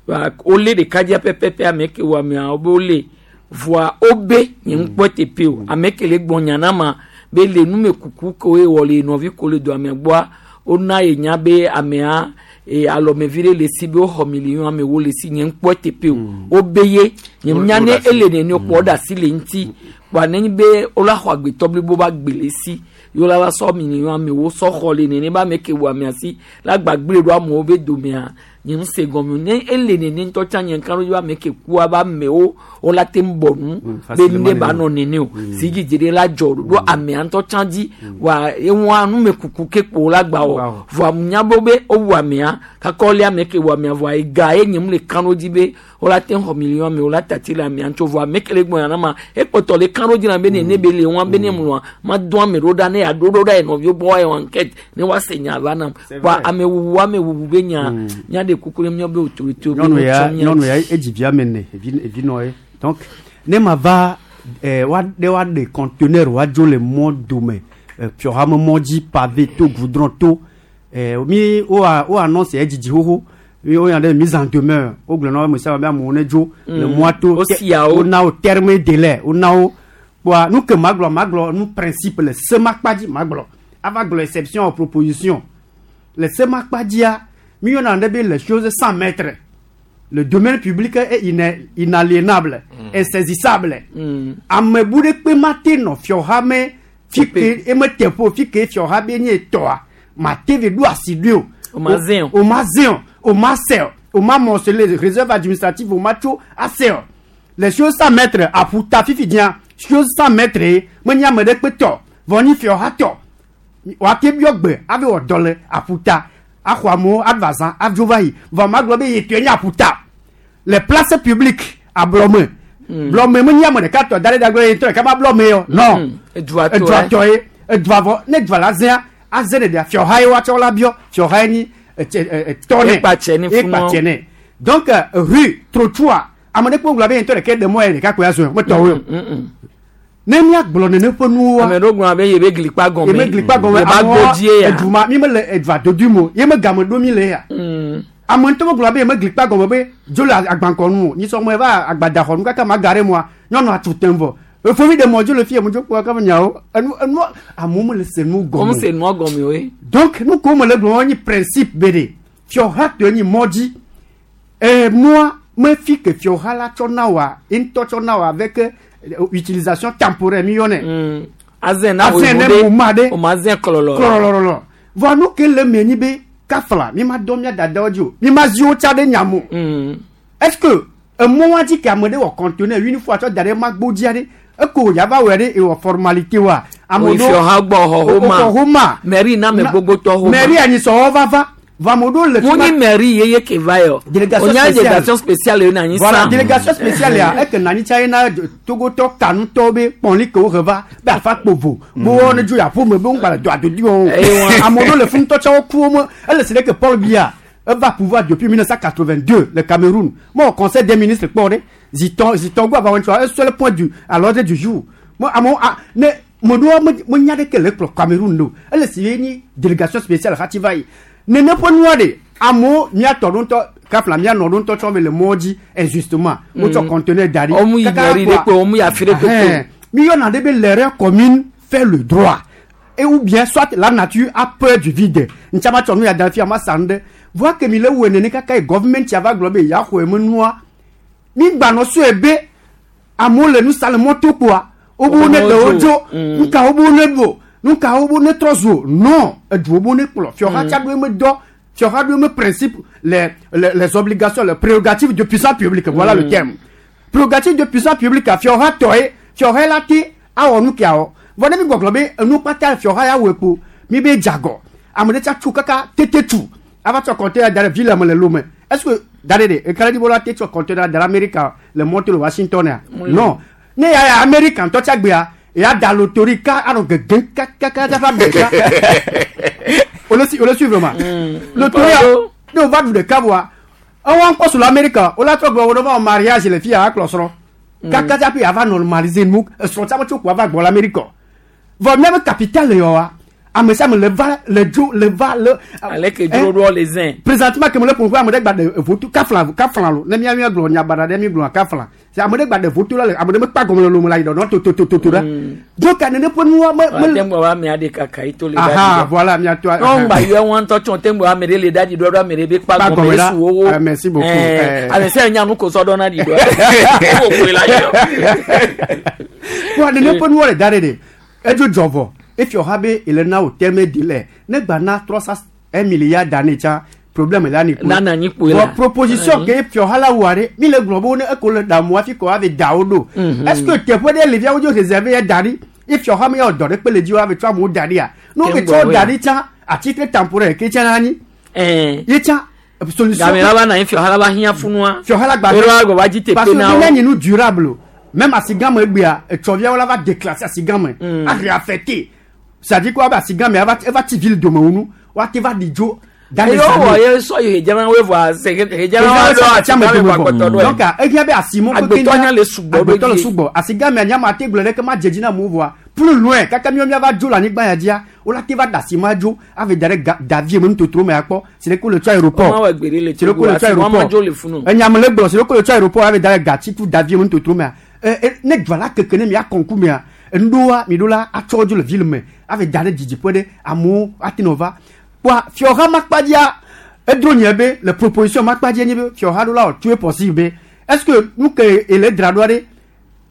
Wa wole ɖekadzia pɛpɛpɛ ame ke wɔ amea wobe wole voa wobe nye ŋkpɔ teƒe o ame ke le gbɔ nya na ma be le numekuku ke woe wɔ le nɔvi ko le do amea gbɔa wona ye nya be amea e alɔmevi ɖe le si be woxɔ miliɔn amewo le si nye ŋkpɔ teƒe o wobe ye nye nya ne ele nene o kpɔ ɖe asi le ŋuti kpoa nenye be wola xɔ agbetɔ blibo ba gbe le si ye wola va sɔ miliɔn amewo sɔ xɔ le nene be ame ke wɔ amea si la gbagble ɖo amewo be domea nye ŋu se gɔme o ne ele nene ŋutɔ tsã nye ŋka ɖo be ame ke kua be amewo wola te ŋu bɔ nu be nu ɖe ba nɔ nene o si dzidzi ɖe la dzɔ ɖo amea ŋutɔ tsã dzi wa eŋua numekuku ke kpo la gba wɔ voa nya be be wowu amea kaka wole ame ke wɔ amea voa ega ye nye mu le kan ɖo dzi be wola te xɔ miliɔn amewo la tati le amea ŋutɔ voa ame ke le gbɔ yana ma ekpɔtɔ le kan ɖo dzi na be nene be le ŋua be ne mlɔa ma do ame ɖo ɖa ne yeaɖo ɖo ɖa ye nɔviwo gbɔ woayɔ enquête ne woase nya va nam voa amewuwu amewuwu be nya nya ɖe kuku ɖe míawo be autorité be nyɔnu ya wotsɔ mía nyɔnu dzi. ya edzi vi ame ene evi evinɔ ye donc ne ma va ɛ wa ɖe wa ɖe conteneur wa dzo le mɔ dome ɛ fiɔhame mɔ dzi pavé to goudron to ɛ mi wo a wo annonce edzidzi xoxo mi wo yan ɖe mise en demeure wo gblɔ na wo ame sia ame be amewo ne dzo le Mm. mɔa to Wo sia wo. wo na wo terme délai wo na wo kpoa nu ke ma gblɔ ma gblɔ nu principe le semakpa dzi ma gblɔ ava gblɔ exception ou proposition le semakpa dzia mi yɔna ɖe be les choses sans maître le domaine public est ina- inaliénable mm. insaisissable Mm. ame bu ɖe kpe ma te nɔ fiɔhame fi ke eme teƒe o fi ke fiɔha be nye tɔa ma te ve ɖo asi ɖoe o O ma zẽ o. o ma zẽ o o ma sɛ o o ma morceler réserve administrative o ma tso ase o les choses sans maître aƒuta fifi dzia choses sans maître ye menye ame ɖe kpe tɔ vɔ nyi fiɔha tɔ wòate biɔ gbe ave wɔ dɔ le aƒuta axɔ amewo ava zã adzo va yi vɔ ma gblɔ be yetɔe nye aƒuta le place publique ablɔme blɔme menye ame ɖeka tɔ da ɖe da gblɔ yetɔ ɖeka ma blɔme yɔ non Edua tɔ edua ye. tɔ ye edua vɔ ne edua la zẽa aze ɖeɖea fiɔha ye woatsɔ la biɔ fiɔha ye nyi etse ɛ ɛ tɔ nɛ Ekpatsɛ ne funu. ekpatsɛ nɛ donc euh, rue trottoir ame ɖe kpe gblɔ be yetɔ ɖeka ɖe mɔ ye ɖeka koe azɔ metɔwoe o ne míagblɔ nene ƒe nuwoa ame ɖewo gblɔna be yebe glikpa gɔme yebe glikpa gɔme yebe agbodzi ya eduma mi mele edua dodoe mo ye me game ɖo mi le ya ame ŋutɔ me gblɔ be yeme glikpa gɔme be dzo le agbankɔnu o nyisɔ me va agbadaxɔnu kaka ma ga ɖe moa nyɔnua tu tem vɔ efovi ɖe mɔ dzo le fie mo dzo kpɔ kaka nyawo enu enu amewo mele se nu gɔme Wɔn se nua gɔme o ye. donc nu ko mele gblɔ nyi principe be ɖe fiɔha tɔe nyi mɔ dzi ee mɔa me fi ke fiɔha la tsɔ na wa ye ŋutɔ tsɔ na wa avec euh, utilisation temporaire mi yɔnɛ azẽ na azẽ ne mo ma ɖe o ma zẽ kɔlɔlɔ kɔlɔlɔlɔ vɔ nu ke le me nyi be kafla mi ma dɔ mia dadawo dzi o mi ma zi wo tsa ɖe nyamo est ce que emɔ wa dzi ke ame ɖe wɔ conteneur une fois tsɔ da ɖe magbo dzia ɖe eko yava wɔe ɖe ewɔ formalité wa O yi fiɔha gbɔ xɔ homa xɔ homa mairie na ame gbogbo tɔ homa mairie anyisɔwɔ vava vɔ ame ɖewo le mo ni mairie yeye ke va yɔ Délégation o nya spéciale. délégation spéciale ye na anyi voilà sa délégation spéciale ya eke nani tsa ye na togotɔ kanutɔwo be kpɔnli ke wo he va be afa kpovo bo wo ne dzo yaƒo me be ŋgba le do adodi wɔm Eye o ame ɖewo le funutɔ tsa wo ku wo me ele si ɖe ke Paul Biya eva pouvoir depuis mille neuf cent quatre-vingt-deux le Cameroun mo conseil des ministres kpɔ ɖe zitɔ zitɔ gbɔ ava wɔn un seul point du à l'ordre du jour mo amewo a ne me ɖewo me me nya ɖeke le kplɔ Cameroun do ele si ye nyi délégation spéciale hati va yi nene ƒe nua ɖe amewo miatɔ ɖo ŋutɔ kafla mianɔ ɖo ŋutɔ tsɔ me le mɔ dzi injustement wotsɔ Mm. conteneur da ɖi Ɔmu yi Kaka mairie ɖe kpoa- kpe, ɔmu yi afi ɖe kpe kpe. Ɛhɛn. mi yɔna ɖe be l'erreur commune fait le droit et ou bien soit la nature a peur du vide ntsa ma tsɔ nu ya da fi ama sa nu ɖe voa ke mi le wɔ nene kaka yi government ya va gblɔ be ya xɔ eme nua mi gbanɔ sɔe be amewo le nu sa le mɔto kpoa wobe wo ne ɖe wo dzo nuka wobe wo ne ɖo Nu ka wo bo ne trɔ zu o non eduwo bo ne kplɔ fiɔha Mm. tsa ɖo eme dɔ fiɔha ɖo eme principe les les les obligations les prérogatives de puissance publique voilà Mm. le terme prérogative de puissance publique fiɔha tɔ ye fiɔha la te awɔ nu kia wɔ vɔ ne mi gbɔgblɔ be enu kpata fiɔha ya wɔe kpo mi be dzagɔ ame ɖe tsa tso kaka tete tu ava tsɔ conteneur da ɖe ville me le Lomé est ce que da ɖe ɖe ekele ɖi bo la te tsɔ conteneur da ɖe Amerika le mɔto le Washington ya Oui. non ne ya ya Amerika ŋutɔ tsa gbea ya da lotori ka anɔ gege kakaka dafa ɖeka o le si o le suivre ma lotori ya ne o va du ɖeka voa ewɔ ŋkɔ su le Amerika o la trɔ gblɔ wo ɖe va wɔ mariage le fi ya akplɔ srɔ̃ kaka tsaƒe ava normaliser nu esrɔ̃ tsa me tso ko ava gbɔ le Amerika vɔ míabe capital yɔ wa ame sia ame le va le dzo le va le. Ale ke dzro ɖoa le zẽ. Présentement ke me le ƒo ƒu ame ɖe gba ɖe votu kafla kafla lo ne mía mía gblɔ nyabaɖa ɖe mi gblɔ kafla c'est ame ɖe gba ɖe votu la le ame ɖe me kpa gɔme le lome la yi ɖɔ totototo ɖa donc nene ƒe nua me Wa me te ŋgɔ wa ame aɖe kaka yi to le aha ɖaɖi. voilà miatoa Non ŋgba yɔ wọn ŋutɔ tsɔ te ŋgɔ ame ɖe le ɖaɖi ɖɔ ɖo ame ɖe be kpa Kpa gɔme gɔme la. esu wowo. Ah, merci beaucoup. Ɛɛ, Eh. ame sia nya nu ko sɔ dɔ na ɖi ɖɔ. Wo koe la yɔ. wa nene ƒe nuwo le da ɖe ɖe edzo dzɔ vɔ efiɔ ha be ele na wo tɛmɛ di lɛ ne gba na trois cent un milliard d'années tsa problème la ni kpoe Na na nyi kpoe la. Vɔ proposition ke fiɔ ha la wɔ ɖe mi le gblɔ be wo ne eko le ɖamu hafi kɔ ave da wo ɖo Mhm. est ce que teƒe ɖe le fia wo dzo réservé ya da ɖi efiɔ ha me ya wɔ dɔ ɖe kpe le dzi wo ave tsɔ amewo da ɖia ne wo Ke ke ŋgɔ tsɔ woe. da ɖi tsã à titre temporaire ke tsã na anyi ye tsã solution Game la va na anyi fiɔ ha la va hiã funua. fiɔ ha la gba Ero agbɔ va dzi parce teƒe que na ne wo. nye nu durable o même asigame egbea etsɔviawo la va déclasser asigame Mm. a réaffecter c'est-à-dire quoi ebe asigame eva eva tsi ville dome wo nu woate va ɖi dzo dans les Eyo wɔ années. ye sɔ yi hedzana wo vɔa se hedzana wa ɖo Atsiame asigame dome vɔ agbetɔ vɔ. ɖo. donc ehia be asimo Agbetɔ nya le sugbɔ ɖo agbetɔ le dzi. sugbɔ asigame nyama te gblɔ ɖeke ma dze dzi na amewo vɔa plus loin kaka míawo míava dzo le anyigba ya dzia wola te va da asima dzo ave da ɖe ga davie me nutotro me akpɔ si ɖe ko le tsɔ aéroport Wọ́n wɔ gbeɖe le si ɖe ko le tsɔ Togo, asima aéroport dzo le funu. enyame le gblɔ si ɖe ko le tsɔ aéroport ave da ɖe gatsi tu davie me nutotro mea ɛ ɛ ne dua la keke ne mia kɔnku mea enuɖowa mi ɖo la atsɔ dzo le ville me ave da ɖe didiƒe ɖe amewo ate nɔ va kpoa fiɔha makpadzia edro nye be le proposition makpadzi nye be fiɔha ɖo la wɔ tout est possible be est ce que nu ke ele dzra ɖoa ɖe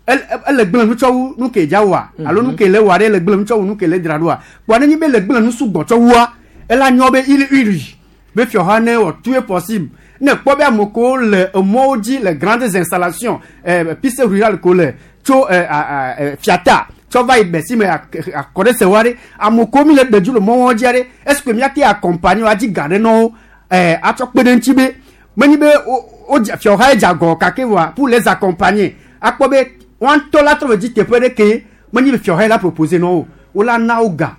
ele ele gblẽ nu tsɔ wu nu ke dza wɔa alo nu ke le wɔa ɖe ele gblẽ nu tsɔ wu nu ke le dzra ɖoa kpoa ne nyi be le gblẽ nu sugbɔ tsɔ wua ela nyɔ be il uri be fiɔha ne wɔ tout est possible ne kpɔ be ame kewo le emɔwo dzi le grandes installations eh, piste rurale ko le tso eh, a, a, eh, fiata tsɔ va yi gbɛsi me akɔ ɖe sewa ɖe ame kewo mi le ɖe dzo le mɔwo dzia ɖe est ce que míate accompagner wo adzi ga ɖe nɔ wo eh, atsɔ kpe ɖe ŋuti be menyi be wo wo dze- fiɔha ye dze agɔ gake voa pour les accompagner akpɔ be woa ŋutɔ la trɔ ve dzi teƒe ɖe ke menyi be fiɔha ye la proposer nɔ wo wo la na wo ga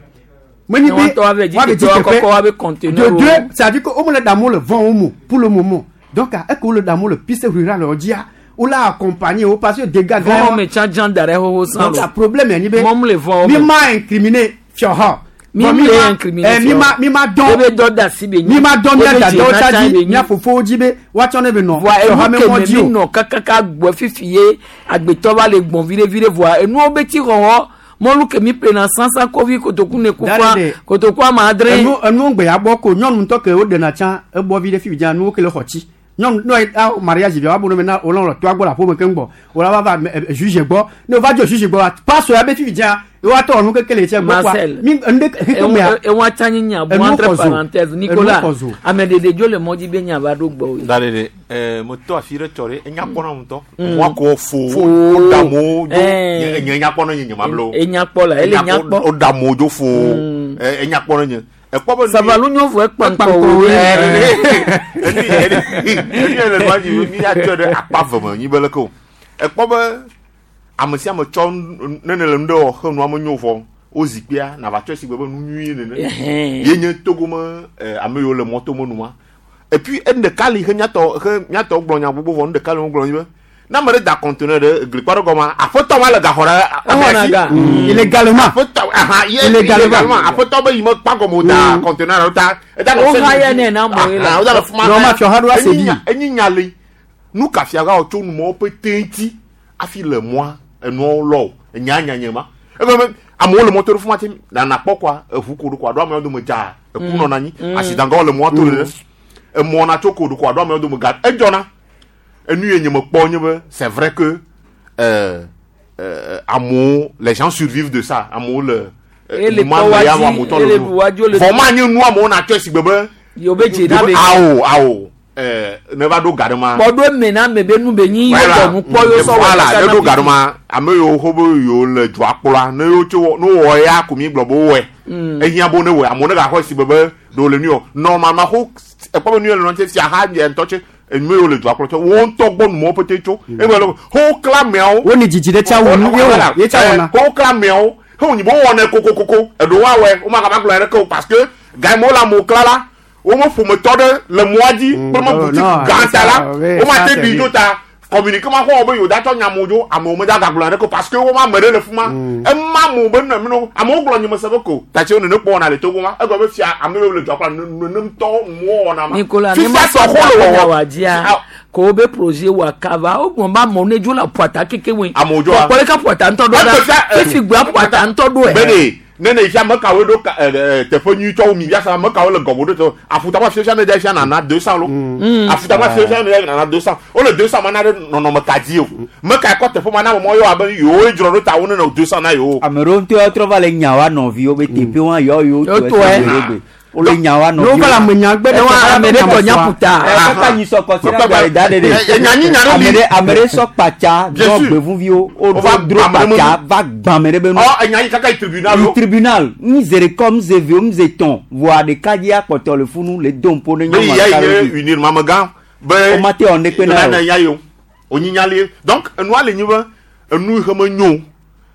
menyi Ne be woa ŋutɔ woave dzi woave dzi teƒe, teƒe woakɔkɔ woabe conteneur de wo. deux c'est à dire que wo me le ɖe amewo le vɔn wo mo pour le moment donc eke wo le ɖe amewo le piste rurale wo dzia wo la accompagner wo parce que dégâts gã Vɔn me tsã dzã da ɖe xoxo sã donc lo. la problème ye nyi be Mɔmu le vɔn wo mi me. ma incriminer fiɔha Mi Bon, le ma- incriminer eh, mi fiɔha. ma mi ma dɔn Ebe dɔ da si be nyi. mi ma dɔn mia Ebe dadawo dze tsa na tsã dzi be nyi. mia fofowo dzi be woatsɔ ne be nɔ Vɔa fiɔha enu me ke mɔ me dzi mi o nɔ kakaka gbɔ fifi ye agbetɔ va le gbɔn viɖe viɖe vɔa enuwo be ti xɔxɔ mɔlu ke mi ƒlena sãsã kovi kotoku ne kufa Dare de. kotoku ame adre. enu enu gbe ya bɔ ko nyɔnu ŋutɔ ke woɖena tsã ebɔ vi ɖe fifi dzia nuwo ke le xɔ tsi nyɔnu ne a mariage via woabu ne be na wolɔ le toa gbɔ le aƒeme keŋ gbɔ wola va va ɛ, ɛ, juge gbɔ ne wova dzo juge gbɔ pasɔ ya be fifi dzia woatɔ nu keke le tse gbɔ kɔa Marcel. mi enu ɖe xexeme ya Ewa tsã nye nya bu Enu entre xɔ zo. parenthèse Enu Nicolas xɔ zo. ame ɖeɖe dzo le mɔ dzi be nya va ɖo gbɔ o. Da ɖe ɖe ɛɛ metɔ afi ɖe tsɔ ɖe enya kpɔ na ŋutɔ. Mm. Wa ko fo Fo. wo da amewo dzo. Eh. Nye nye nya kpɔ na nye nye ma blo. Enya kpɔ la, ele nya kpɔ. Wo da amewo dzo fo. Ɛ enya kpɔ na nye. Ekpɔ be. Savalu nyɔvu ekpa ŋkɔ wo. Enu enu le nua dzi mi atsɔe ɖe akpa ve me nyi be leke o. Ekpɔ be ame sia ame tsɔ nu- ne ne le nu ɖe wɔ xe nua menyo vɔ wo zikpuia nava tsɔe si gbe be nu nyui nene. Ɛhɛn. Ye nye Togo me ɛ, ame yiwo le mɔto me numa. Et puis enu ɖeka li xe miatɔ xe miatɔ gblɔ nya gbogbo vɔ nu ɖeka li wogblɔ nyi be ne ame ɖe da conteneur ɖe eglikpa ɖe gɔmea aƒetɔ ma le gaxɔ ɖe amea Exɔna si. ga. Mm. Illégalement. Aƒetɔ aha ye Illégalement. illégalement aƒetɔ be yi me kpa gɔme o da conteneur ɖe ta. Eda nɔ Wo fɛn haya dzi. nɛ na amewo la. Aha, wo da le fi ma Nɔ ma haya. fiɔha ɖo ase Enyi bi. nya- enyi nya li nu ka fia ga wɔ tso numɔwo pete ŋuti hafi le mɔa enuawo lɔ o enya nya nye ma ebe be amewo le mɔto ɖe fi ma te nana kpɔ kɔa eʋu ko ɖo kɔa ɖo amewo dome dza eku Mm. nɔna anyi Mm. asidangãwo le mɔa to le ɖe emɔ na tso ko ɖo kɔa ɖo amewo dome ga edzɔna enu ye nye me kpɔ nye be c'est vrai que euh, euh, amewo les gens survivent de ça amewo le Ele ma kɔ me ya wa wa dzi, motɔ ele le ɖu wa dzo le vɔ ma nye nua mo na tsɔ si gbe be Yo be dze na be awo awo ɛɛ ne va ɖo ga ɖe ma kpɔɖo eme na ame be nu be nyi yo Voilà. bɔ nu kpɔ yo sɔ wɔ Voilà, kaka ne na ɖo ga ɖe pipi. ma ame yiwo xɔ be yewo le dzoa kplɔa ne yewo tso wɔ- ne wowɔ ya ko mi gblɔ be wowɔe Mm. ehiã bo ne wɔe amewo ne gaxɔ si be be ɖewo le nu yɔ normalement xo ekpɔ be nu yɔ le nɔ tse fia ha yɛ ŋutɔ tse enu yiwo le dzoa kplɔ tse wo ŋutɔ gbɔ numɔwo pete tso ebe le xo kla ameawo wo ni dzidzi ɖe tsa wɔ nu ye wɔ ye tsa wɔna xo kla ameawo xo nyi be wowɔnɛ kokokoko eɖewo awɔe wo magava gblɔ ɖeke o parce que ga yi me wole amewo kla la wo me ƒometɔ ɖe le mɔa dzi kple me oh, boutique non, gã ta la oui, wo ma ça, te c'est ɖi lui. dzo ta communiqué ma xɔ be yewo da tsɔ nyamewo dzo amewo me da gagblɔ ɖeke o parce que wo ma ame ɖe le fi ma ema amewo be nɔ mino amewo gblɔ nyime se be ko tatsi wo nene kpɔ wɔna le Togo ma egblɔ be fia ame yiwo le dzoa kplɔ nenemtɔ nuwo wɔna ma Nicolas ne fifia ma tɔ sɔ xɔ le da wɔwɔ wa dzia ko wo be projet wa kava wo gbɔn ba amewo ne dzo le ƒuata keke woe Amewo dzoa. kpɔkpɔ ɖeka ƒuata ŋutɔ ɖo Egbe ɖa fia, eh, fifi gbea ƒuata ŋutɔ ɖo be de ne ne fia ame kawoe ɖo ka- ɛ, ɛ, teƒe nyuitɔwo mi fia ame kawo le gɔme ɖo teƒe afutama fia fia ne da fia nana deux cents lo afutama fia fia ne da nana deux cents wole deux cents ma na ɖe nɔnɔme ka dzi o me ka kɔ teƒe ma na ame mɔ yɔ abe yewoe dzrɔ ɖo ta wo ne nɔ deux cents na yewo ame ɖewo ŋutɔ trɔ va le nya wa nɔviwo be teƒe wa yɔ yewo Yo tɔ tɔe. esi gbe ɖe wole nya wa n'o va le ame nya gbe ɖe Ewa tsa ame ɖe tɔ nya ƒuta. kaka nyi sɔ kɔsi na gba le da ɖe ɖe Ɛ, ɛ, nya nyi nya ɖe ame li. ɖe ame ɖe sɔ kpatsa Bien dɔ sûr. gbevuviwo Wova wo dro gbã ame ɖe kpatsa va gbã ame ɖe be nu ɔ enya yi kaka yi tribunal yi lo tribunal n ze ɖeka n ze ve n ze tɔn voa ɖeka dzi akpɔtɔ le funu le do ŋpo ne be nyɔnua ya ɖeka yi ɖe nye dzi. unir mamegã be O ma te wɔ ne kpe na na o. ya yi o onyinya li donc enua le nyi be enu yi xe me nyo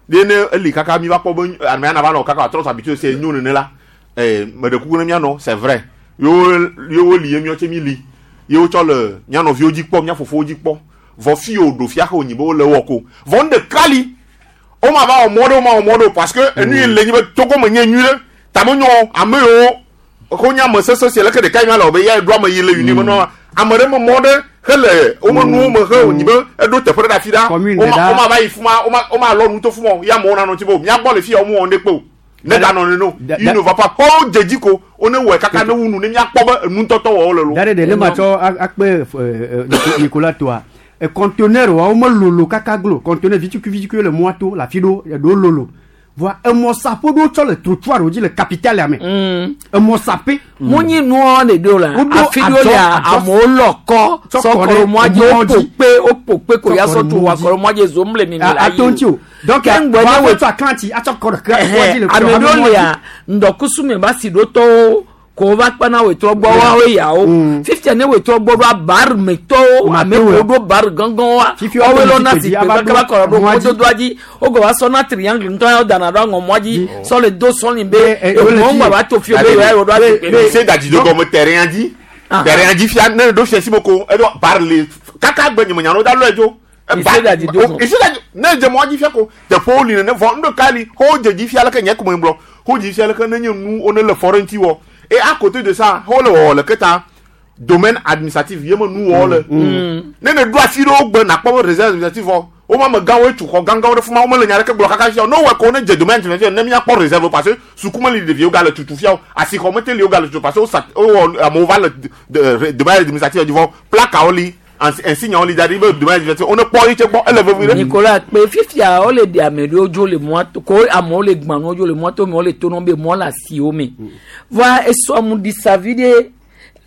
de ne eli kaka mi va kpɔ be amea na va nɔ kaka trɔ habitué se nyo nene la eh me ɖe kuku ne mianɔ c'est vrai yewo yewo li ye miɔ tse mi li yewo tsɔ le mia nɔviwo dzi kpɔ mia fofowo dzi kpɔ vɔ fi yiwo ɖo fia xe wònyi be wole wɔ ko vɔ nu ɖeka li wo ma va wɔ mɔ ɖe wo ma wɔ mɔ ɖe o parce que enu yi le nyi be Togo me nye nyui ɖe ta me nyɔ ame yiwo ko nye ame sese si leke ɖeka yi ma le wɔ be ya ɖo ame yi le uni me nɔ ame ɖe me mɔ ɖe hele wo me nuwo me he wònyi be eɖo teƒe ɖe ɖe afi ɖa Commune wo ma ɖe wo ma va yi fuma wo ma wo ma lɔ nu to fuma o ya amewo nanɔ ŋuti be o mía gbɔ le fi ya wo mu wɔ ŋɖe kpe o ne ganɔ nene o Da- il da- ne va pas xɔ dze dzi ko wo ne wɔe kaka ne wu nu ne míakpɔ be enu ŋutɔtɔ wɔ wo le lo da ɖe ɖe ne ma tsɔ a- akpe ɛ, ɛ, Nico- Nicolas toa ɛ, conteneur wa wo me lolo kaka glo conteneur vitukui vitukui le mɔa to le afi ɖewo eɖewo lolo voa emɔsaƒe ɖewo tsɔ le trottoir wo dzi le capitale ya me emɔsaƒe munyi nuɔ le do la Woɖo afi ɖo adzɔ- lea adzɔ- amewo lɔ kɔ Tsɔ sɔ kɔ kɔ ɖe ɖe mɔa dzi mɔa woƒo dzi. kpe woƒo kpe ko Tsɔ ya kɔ sɔ ɖe tu mɔa wa dzi. kɔ ɖe mɔa dzi zom le mimi A- la yi ato ŋuti o donc Ke ŋgbɔ vɔ ne aƒe wo- tsɔ aklanti atsɔ kɔ ɖe mɔa dzi le ame ame ɖewo mɔa dzi. lea ŋdɔkusu me ba si ɖo tɔwo ko wova kpana wetrɔ gbɔ woawo yawo fifia ne wetrɔ gbɔ ɖoa bar me tɔwo ame Matewɛ. ko ɖo bar gãgãwoa Fifi woawoe woawo lɔna zikpui zikpui dzi ava kaka va ɖo kɔ ɖo mɔa dzi. mɔdodoa dzi wogɔ va sɔna triangle ŋutɔ ya wodana ɖo aŋɔ mɔa dzi sɔ le do sɔli be Eh, eh, wole eŋuwo fi. ŋgba va to fio be yewoa ɖo azikpui me. se dadi do gɔme terrain dzi terrain dzi fia ne ɖo fia si me ko eɖo bar le kaka gbe nyeme nyanu da lɔe dzo Ise dadi do gɔme. ise dadi ne dze mɔ dzi fia ko teƒewo li nene vɔ nuɖeka li xɔ dze dzi fia leke nye kume gblɔ xɔ dzi fia leke ne nye nu wo ne le fɔ ɖe ŋuti wɔ et à côté de ça xɔ le wɔwɔ le keta domaine administratif ye me nu wɔwɔ le ne ne ɖo afi ɖewo gbe nakpɔ be réserve administrative vɔ wo ma amegãwoe tu xɔ gãgãwo ɖe fuma wo mele nya ɖeke gblɔ kaka fia o ne wowɔe ko ne dze domaine administratif ne míakpɔ réserve parce que suku meli ɖeviwo gale tutu fia o asixɔ mete li wo gale tutu parce que wo sa wowɔ amewo va le de- de- domaine administratif dzi vɔ plakawo li insignewo li da ɖi be domaine administratif wo ne kpɔ yi tse gbɔ ele vevi ɖe. Nicolas kpe fifia wole ɖe ame ɖewo dzo le mɔa to ko amewo le gbã nuwo dzo le mɔa to me wole to nɔ be mɔ le asiwo me voa esɔ mu ɖi sa vi ɖe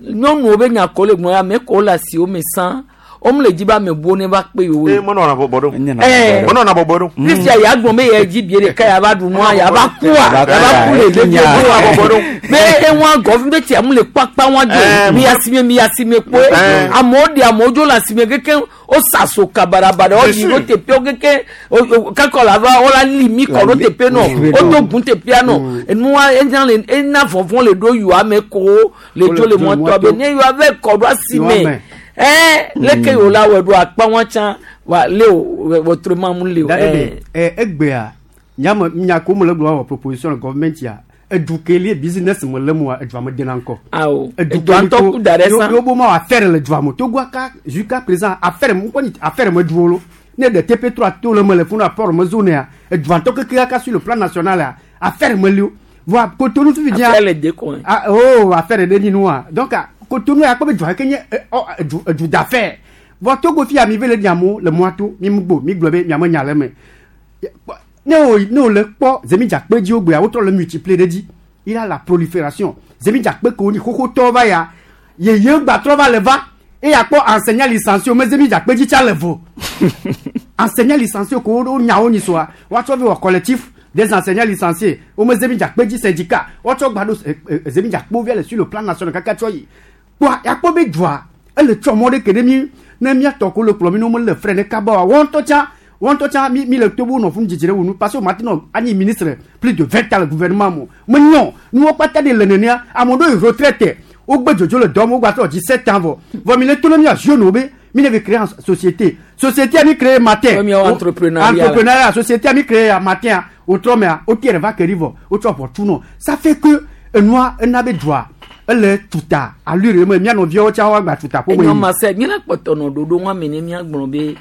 nyɔnuwo be nya ko le gbɔn ame ko le asiwo me sã wome le dzi be ame buwo ne va kpe yewo. ee menɔna bɔbɔ ɖo Ɛɛ. menɔna bɔbɔ ɖo. fifia ya gblɔ be yɛ dzi bie ɖeka ya va ɖu nua ya va kua ya va ku le ɖe Menɔna bɔbɔ ɖo. be eŋua gɔfi be tia mu le kpakpa wa dzo mi asime mi asime kpoe amewo ɖe amewo dzo le asime keke wo sa so kabarabara wo yi ɖo teƒewo keke o- o- kakɔ la va wo la li mi kɔ ɖo teƒe nɔ wo do gun teƒea nɔ enua ena le ena vɔvɔ le ɖo yua me ko le dzo le mɔtɔ be ne yua vɛ kɔ ɖo asime ɛɛ leke yewo la wɔ ɖo akpa wa tsã wa le o wɔtrɔ ma mu le o Da ɖe ɛɛ. ɖe, ɛ, egbea nyame nya ko mele gblɔ wɔ proposition le government ya edu ke li business me le mua edua me dena ŋkɔ. Awo Edu edua ke li ŋutɔ ko- ku da ɖe yo- sã. yo bo ma wɔ affaire le dua me Togoa ka jusqu'à présent affaire mu kɔni affaire me duwo lo ne ɖe T P trois to le me le funu apport me zone ya edua ŋutɔ keke kaka sur le plan national ya affaire me li o voa Cotonou fifi dzia. Affaire le déco. Ah, oh affaire ɖe nyi nua donc ah, Cotonou ya kpɔ be dua ke nye eh, ɔ, edu edu d'affaire voa Togo fia mi ve le diamo le mɔa to mi mu gbo mi gblɔ be miame nya le me Ne o ne o le kpɔ zemidzakpe dzi wo gbea wotrɔ le multiplier ɖe dzi. Il a la prolifération. Zemidzakpe ko ni xoxotɔ va ya yeye gbatrɔ va le va e akpɔ enseignant licencié o me zemidzakpe dzi tsa le vo. Enseignant licencié ko wo nyawo nyi soa woatsɔ vi wɔ collectif des enseignants licenciés o me zemidzakpe dzi syndicat woatsɔ gba ɖo zemidzakpewo via le sur le plan national kaka tsɔ yi. Kpɔa yakpɔ be dua ele tsɔ mɔ ɖe ke ɖe mi ne miatɔ ko le kplɔ mi ne wo le frais ne kaba wa wɔn ŋutɔ tsã wɔn ŋutɔ tsã mi mi le tobo nɔ funu dzidzi ɖe wo nu parce que maintenant anyi ministre plus de vingt ans le gouvernement mo me nyɔ nuwo kpata de le nenea ame ɖewo yi retraite wogbe dzodzo le dɔm wogba trɔ dix sept ans vɔ vɔ mi le to ne mia jeune wo be mi ne be créer en société société a mi créer matin entrepreneuriat entrepreneuriat société a mi créer matin o trɔ mea o tiɛ va keri vɔ o tsɔ ʋɔ tu nɔ ça fait que enua ena be dua ele tuta allure me mia nɔviawo tsã woagba tuta ƒo me. Enyo ma se míele kpɔtɔ nɔ ɖoɖo ŋu ame ne míagblɔ be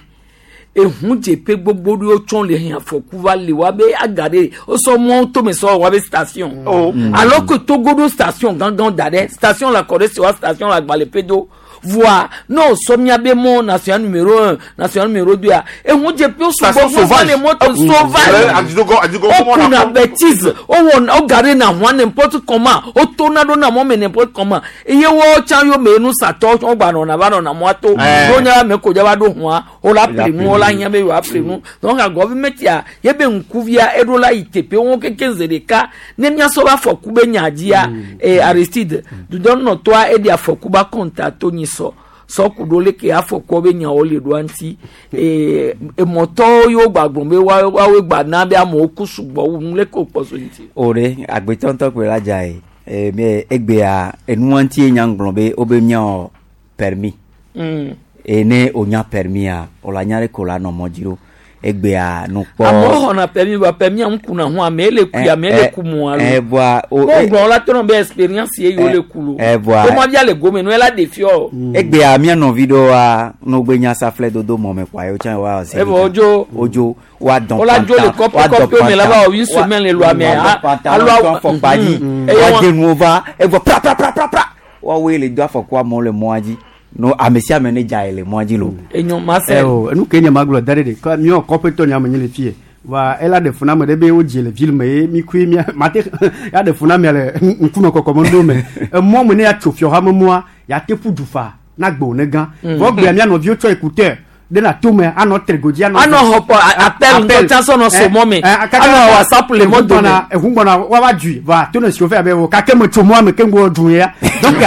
ehun dzeƒe gbogbo ɖewo tsɔ le hɛn afɔku va le wa be aga ɖe wosɔ mɔ tome sɔ wa be station. Oh. Alors que Togo ɖo station gãgã da ɖe station la kɔ ɖe si wa station la agbalẽ do voa ne wosɔ míabe mɔ national numéro un national numéro deux a ehun dzeƒewo sugbɔ gbogbo le mɔto sauvage wokuna bêtise wowɔ woga ɖe na hɔn n'importe comment wotona ɖo na mɔ me n'importe comment eye wo tsã yome nusatɔ wogba nɔna va nɔna mɔa to ɖo nya ame ko dza va ɖo hɔa wola ƒle nu wola hiã be yewoa ƒle nu donc gɔvimɛtia yebe ŋkuvia eɖo la yi teƒe wo keke zi ɖeka ne míasɔ va afɔku be nya dzia ee Aristide dudɔnɔtɔa eɖe afɔku ba kɔnta to nyi sɔ sɔku ɖo leke afɔkuɔ be nyawo le ɖoa ŋuti ee emɔtɔwo yiwo gbagblɔ be woawoe gba na be amewo ku sugbɔ wu nu leke wokpɔ so ŋuti. O ɖe agbetɔ ŋutɔ koe la dza ye ee mi egbea enua ŋuti ye nya gblɔ be wobe miawɔ permis. Mm. Eye ne wonya permis o la nya ɖe ko la nɔ mɔ dzi ɖo egbea nu kpɔ. Amewo xɔna permis ba permis ŋu kuna hu ame le kui ame le ku mu alo. Ɛ bɔa o ko gblɔ la tɔnɔ be expérience ye yewo le ku lo. Ɛ bɔa ko ma via le gome nu ela ɖe fiɔ. Egbea mía nɔvi ɖewoa nogbe nya saflɛ dodo mɔ me kɔa yewo tsã wa ɔsɛ. Evɔ wodzo. Wodzo wa dɔn Wola dzo le kɔƒe kɔƒewo me la va wɔ une semaine le lua me. Alo afɔkpa dzi wa de nuwo va evɔ pra pra pra pra pra woawoe le do afɔkua amewo le mɔa dzi. No ame sia ame ne dza ye le mɔa dzi lo. Enyo ma se. Ɛ o enu ke nye ma gblɔ da ɖe de kɔ miɔ kɔƒetɔ nya me nye le fie wa ela ɖe funa me ɖe be wodzi le ville me ye mi kui mia mate ya ɖe funa mia le ŋkunɔ kɔkɔ me ɖo me emɔ me ne ya tso fiɔ hame mɔa ya te ƒu du fa na gbe ne gã vɔ gbea mia nɔviwo tsɔ écouteur de na to me anɔ tregodzi anɔ. Anɔ xɔ pɔ appel ŋutɔ tsã sɔ nɔ so mɔ me anɔ WhatsApp le mɔ dome. Eʋu gbɔna wa va dui va to ne chauffeur be wo kake me tso mɔa me ke ŋgbɔ du ya donc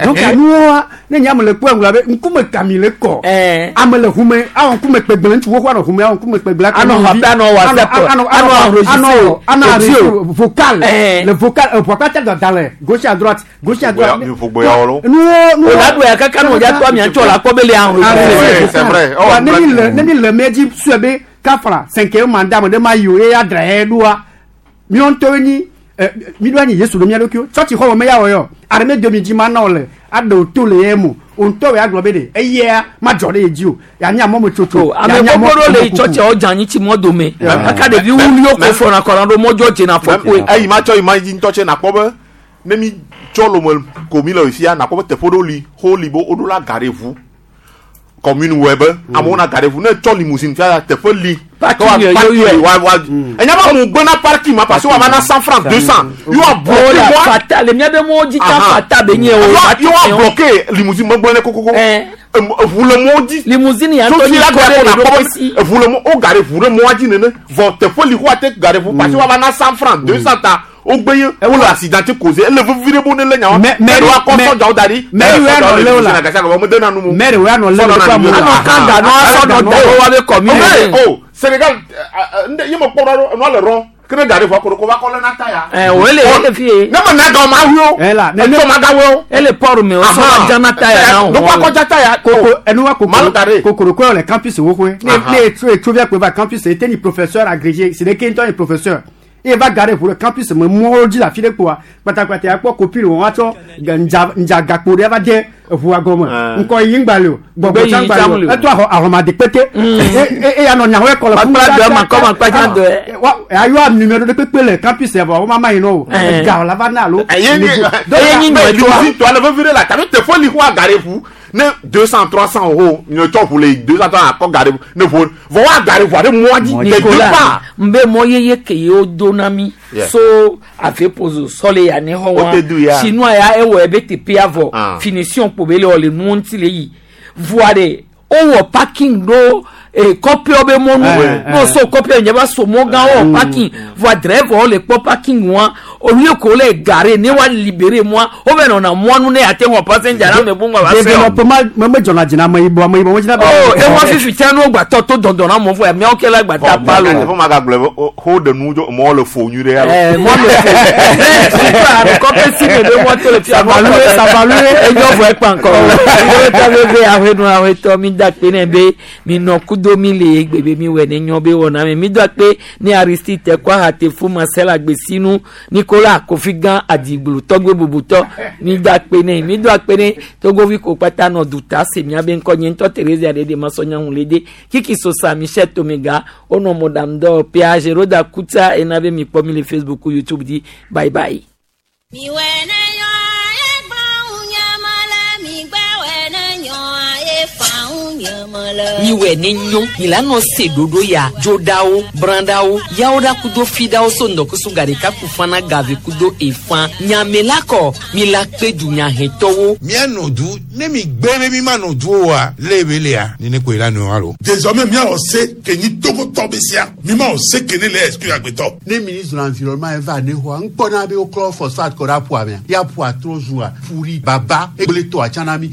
donc nuwoa ne nye ame le kpɔe ŋgblɔ be ŋkume kami le kɔ ame le ʋume awɔ ŋkume kpegble ŋutsu xoxo anɔ ʋume awɔ ŋkume kpegble anɔ xɔ anɔ WhatsApp anɔ anɔ anɔ enregistré vocal le vocal eʋua kpata dada le gauche à droite gauche à droite nuwo nuwo o la do ya kaka nɔ dza to amia tsɔ la kpɔ be le enregistré. C'est vrai. Oh, ne mi le ne mi le me dzi sue be kafra cinquième mandat me ɖe ma yi o ye ya dra ye ɖoa miɔ ŋutɔwoe nyi ɛ mi ɖo anyi Yesu ɖo mía ɖokuiwo tsɔtsi xɔ me ya wɔ yɔ armée de mi dzi ma na wo le aɖe o to le ye mo o ŋutɔ ya gblɔ be ɖe eyea ma dzɔ ɖe ye dzi o ya nye amɔ me tsotso. Ame gbogbo ɖewo le yi tsɔtsia wo dze anyi tsi mɔ dome kaka ɖevi wuliwo ko fɔna kɔna ɖo mɔdzɔ dzena afɔkue. Eyi ma tsɔ yi ma dzi ŋutɔ tse nakpɔ be ne mi tsɔ lome ko mi le fia nakpɔ be teƒe ɖewo li xɔ li be woɖo la ga ɖe ʋu. Commune wɛ be amewo na ga ɖe ʋu ne tsɔ limousine fia teƒe li. Parking yo wa wa enya ba mu gbena parking ma parce que wa va na cent francs deux cents yo wa bloqué moi fata le mia be mo dzi ta fata be nye o yo wa bloqué limousine me gbɔne kokoko ʋu le mɔ dzi limousine ya ŋutɔ nyi kɔ ɖe le ɖokui si ʋu le mɔ o ga ɖe ʋu ɖe mɔa dzi nene vɔ teƒe li ko wa te ga ɖe ʋu parce que wa va na cent francs deux cents ta o gbe ye o le accident causé ele vevi ɖe bo ne le nyawo mɛ mɛ wa kɔ sɔdzawo da ɖi mɛ wo anɔ le o la mɛ wo anɔ le o la anɔ kan da nɔ asɔ nɔ da wo wa be commune. O Sénégal ye me kpɔ ɖo nua le rɔn kene ga ɖe vɔ koro ko va kɔ le na ta ya. Ɛ o ele o le fi ye. Ne me na ga o ma hu o. Ɛ la ne ma ga wo. Ele port me o sɔ la jana ta ya na o. Ne kɔ akɔ ta ya. Koko ɛnu wa kokoro kokoro ko le campus wo koe. Ne ne etso etso via koe va campus ete ni professeur agrégé c'est de ke ŋutɔ ni professeur. E va garer pour le campus me mɔ dzi le afi ɖe kpoa kpatakpata ya kpɔ kopi le wɔn atsɔ ndza ndza gakpo ɖe va de eʋua gɔme ŋkɔ yi ŋgba le o gbɔgbɔ tsa ŋgba le o eto ahɔ ahɔmade kpete e e ya nɔ nyawo ekɔ le fún mi ayɔ numéro ɖe kpekpe le campus ya vɔ wo ma ma yi nɔ o ega la va na alo. Eye nyi limousine tɔ ale vevi ɖe la tabi teƒe li xɔ agare ʋu Ne deux cent trois cent euros ne tsɔ ʋu le deux cent trois akɔ gare ne ʋu vɔ wa gare ʋua ɖe mɔa dzi de deux Nicolas pas. nbe mɔ yeye ke ye wo do na mi Yeah. so ave pozo sɔle ya ne xɔ O te du ya. wa sinua ya ewɔ ebe teƒe avɔ Ah. finition kpo be le wɔ le nuwo ŋuti le yi voa de wowɔ parking ɖo eh, kɔƒewo be mɔnu Eh, n'o so kɔƒe nye ba so mɔ gã wɔ parking voa driver le kpɔ parking wa olu ko le gare ne wa libere mɔa wo bɛ nɔna mɔnu ne ate ŋɔ passenger na me bu ŋua va se o. développement me me dzɔna dzi na ameyibɔ ameyibɔ me dzina be. Oh, ewa fifi tia n'o gbatɔ to dɔndɔn na mɔ fɔ ya miawo kɛ la gbata Bɔn palo. fɔ ma ka gblɔ be o ho de nu dzo mɔ le fo nyui ɖe ya Eh, mɔ le fo. Eh, kɔpe si me be mɔ to le fia. Sabalue, sabalue. Enyɔ vɔ ekpa ŋkɔ. Ewetɔ bebe ahwenu ahwetɔ mi da kpe ne be mi nɔ kudo mi le egbe be mi wɔ ne nyɔ be wɔna mi. Mi do akpe ne Aristide kɔ ahate fu Marcel Agbesinu Nicolas Kofi Gã Adigblu tɔgbe bubutɔ mi do akpe ne mi do akpe ne Togovi ko kpata nɔ duta se mia be ŋkɔ nye ŋutɔ Theresa ɖe ma sɔ nyaŋu le de Kiki Sosa Michel Tomega wonɔ mɔɖaŋu dɔ Pia Geroda Kuta ena be mi kpɔ mi le Facebook YouTube di bye bye. miwɛ ne nyo mi la nɔ se ɖoɖo ya dzoɖawo brãɖawo yawo ɖa kudo fiɖawo so ŋdɔkusu gaɖeka ku fana gave kudo efã nyame la kɔ mi la kpe dunyahɛtɔwo. Mía nɔ du ne mi gbé be mi ma nɔ du o wa lé be lea nene koe la nɔ wa lo. Désormais míawɔ se ke nyi togotɔ be sia mi ma wɔ se ke ne le exclure agbetɔ. Ne ministre de l'environnement eva ne xɔa ŋkpɔna be woklɔ phosphate kɔ ɖe aƒua mea ya ƒua trɔ zua ƒu ɖi baba egble tɔa tsã na mi.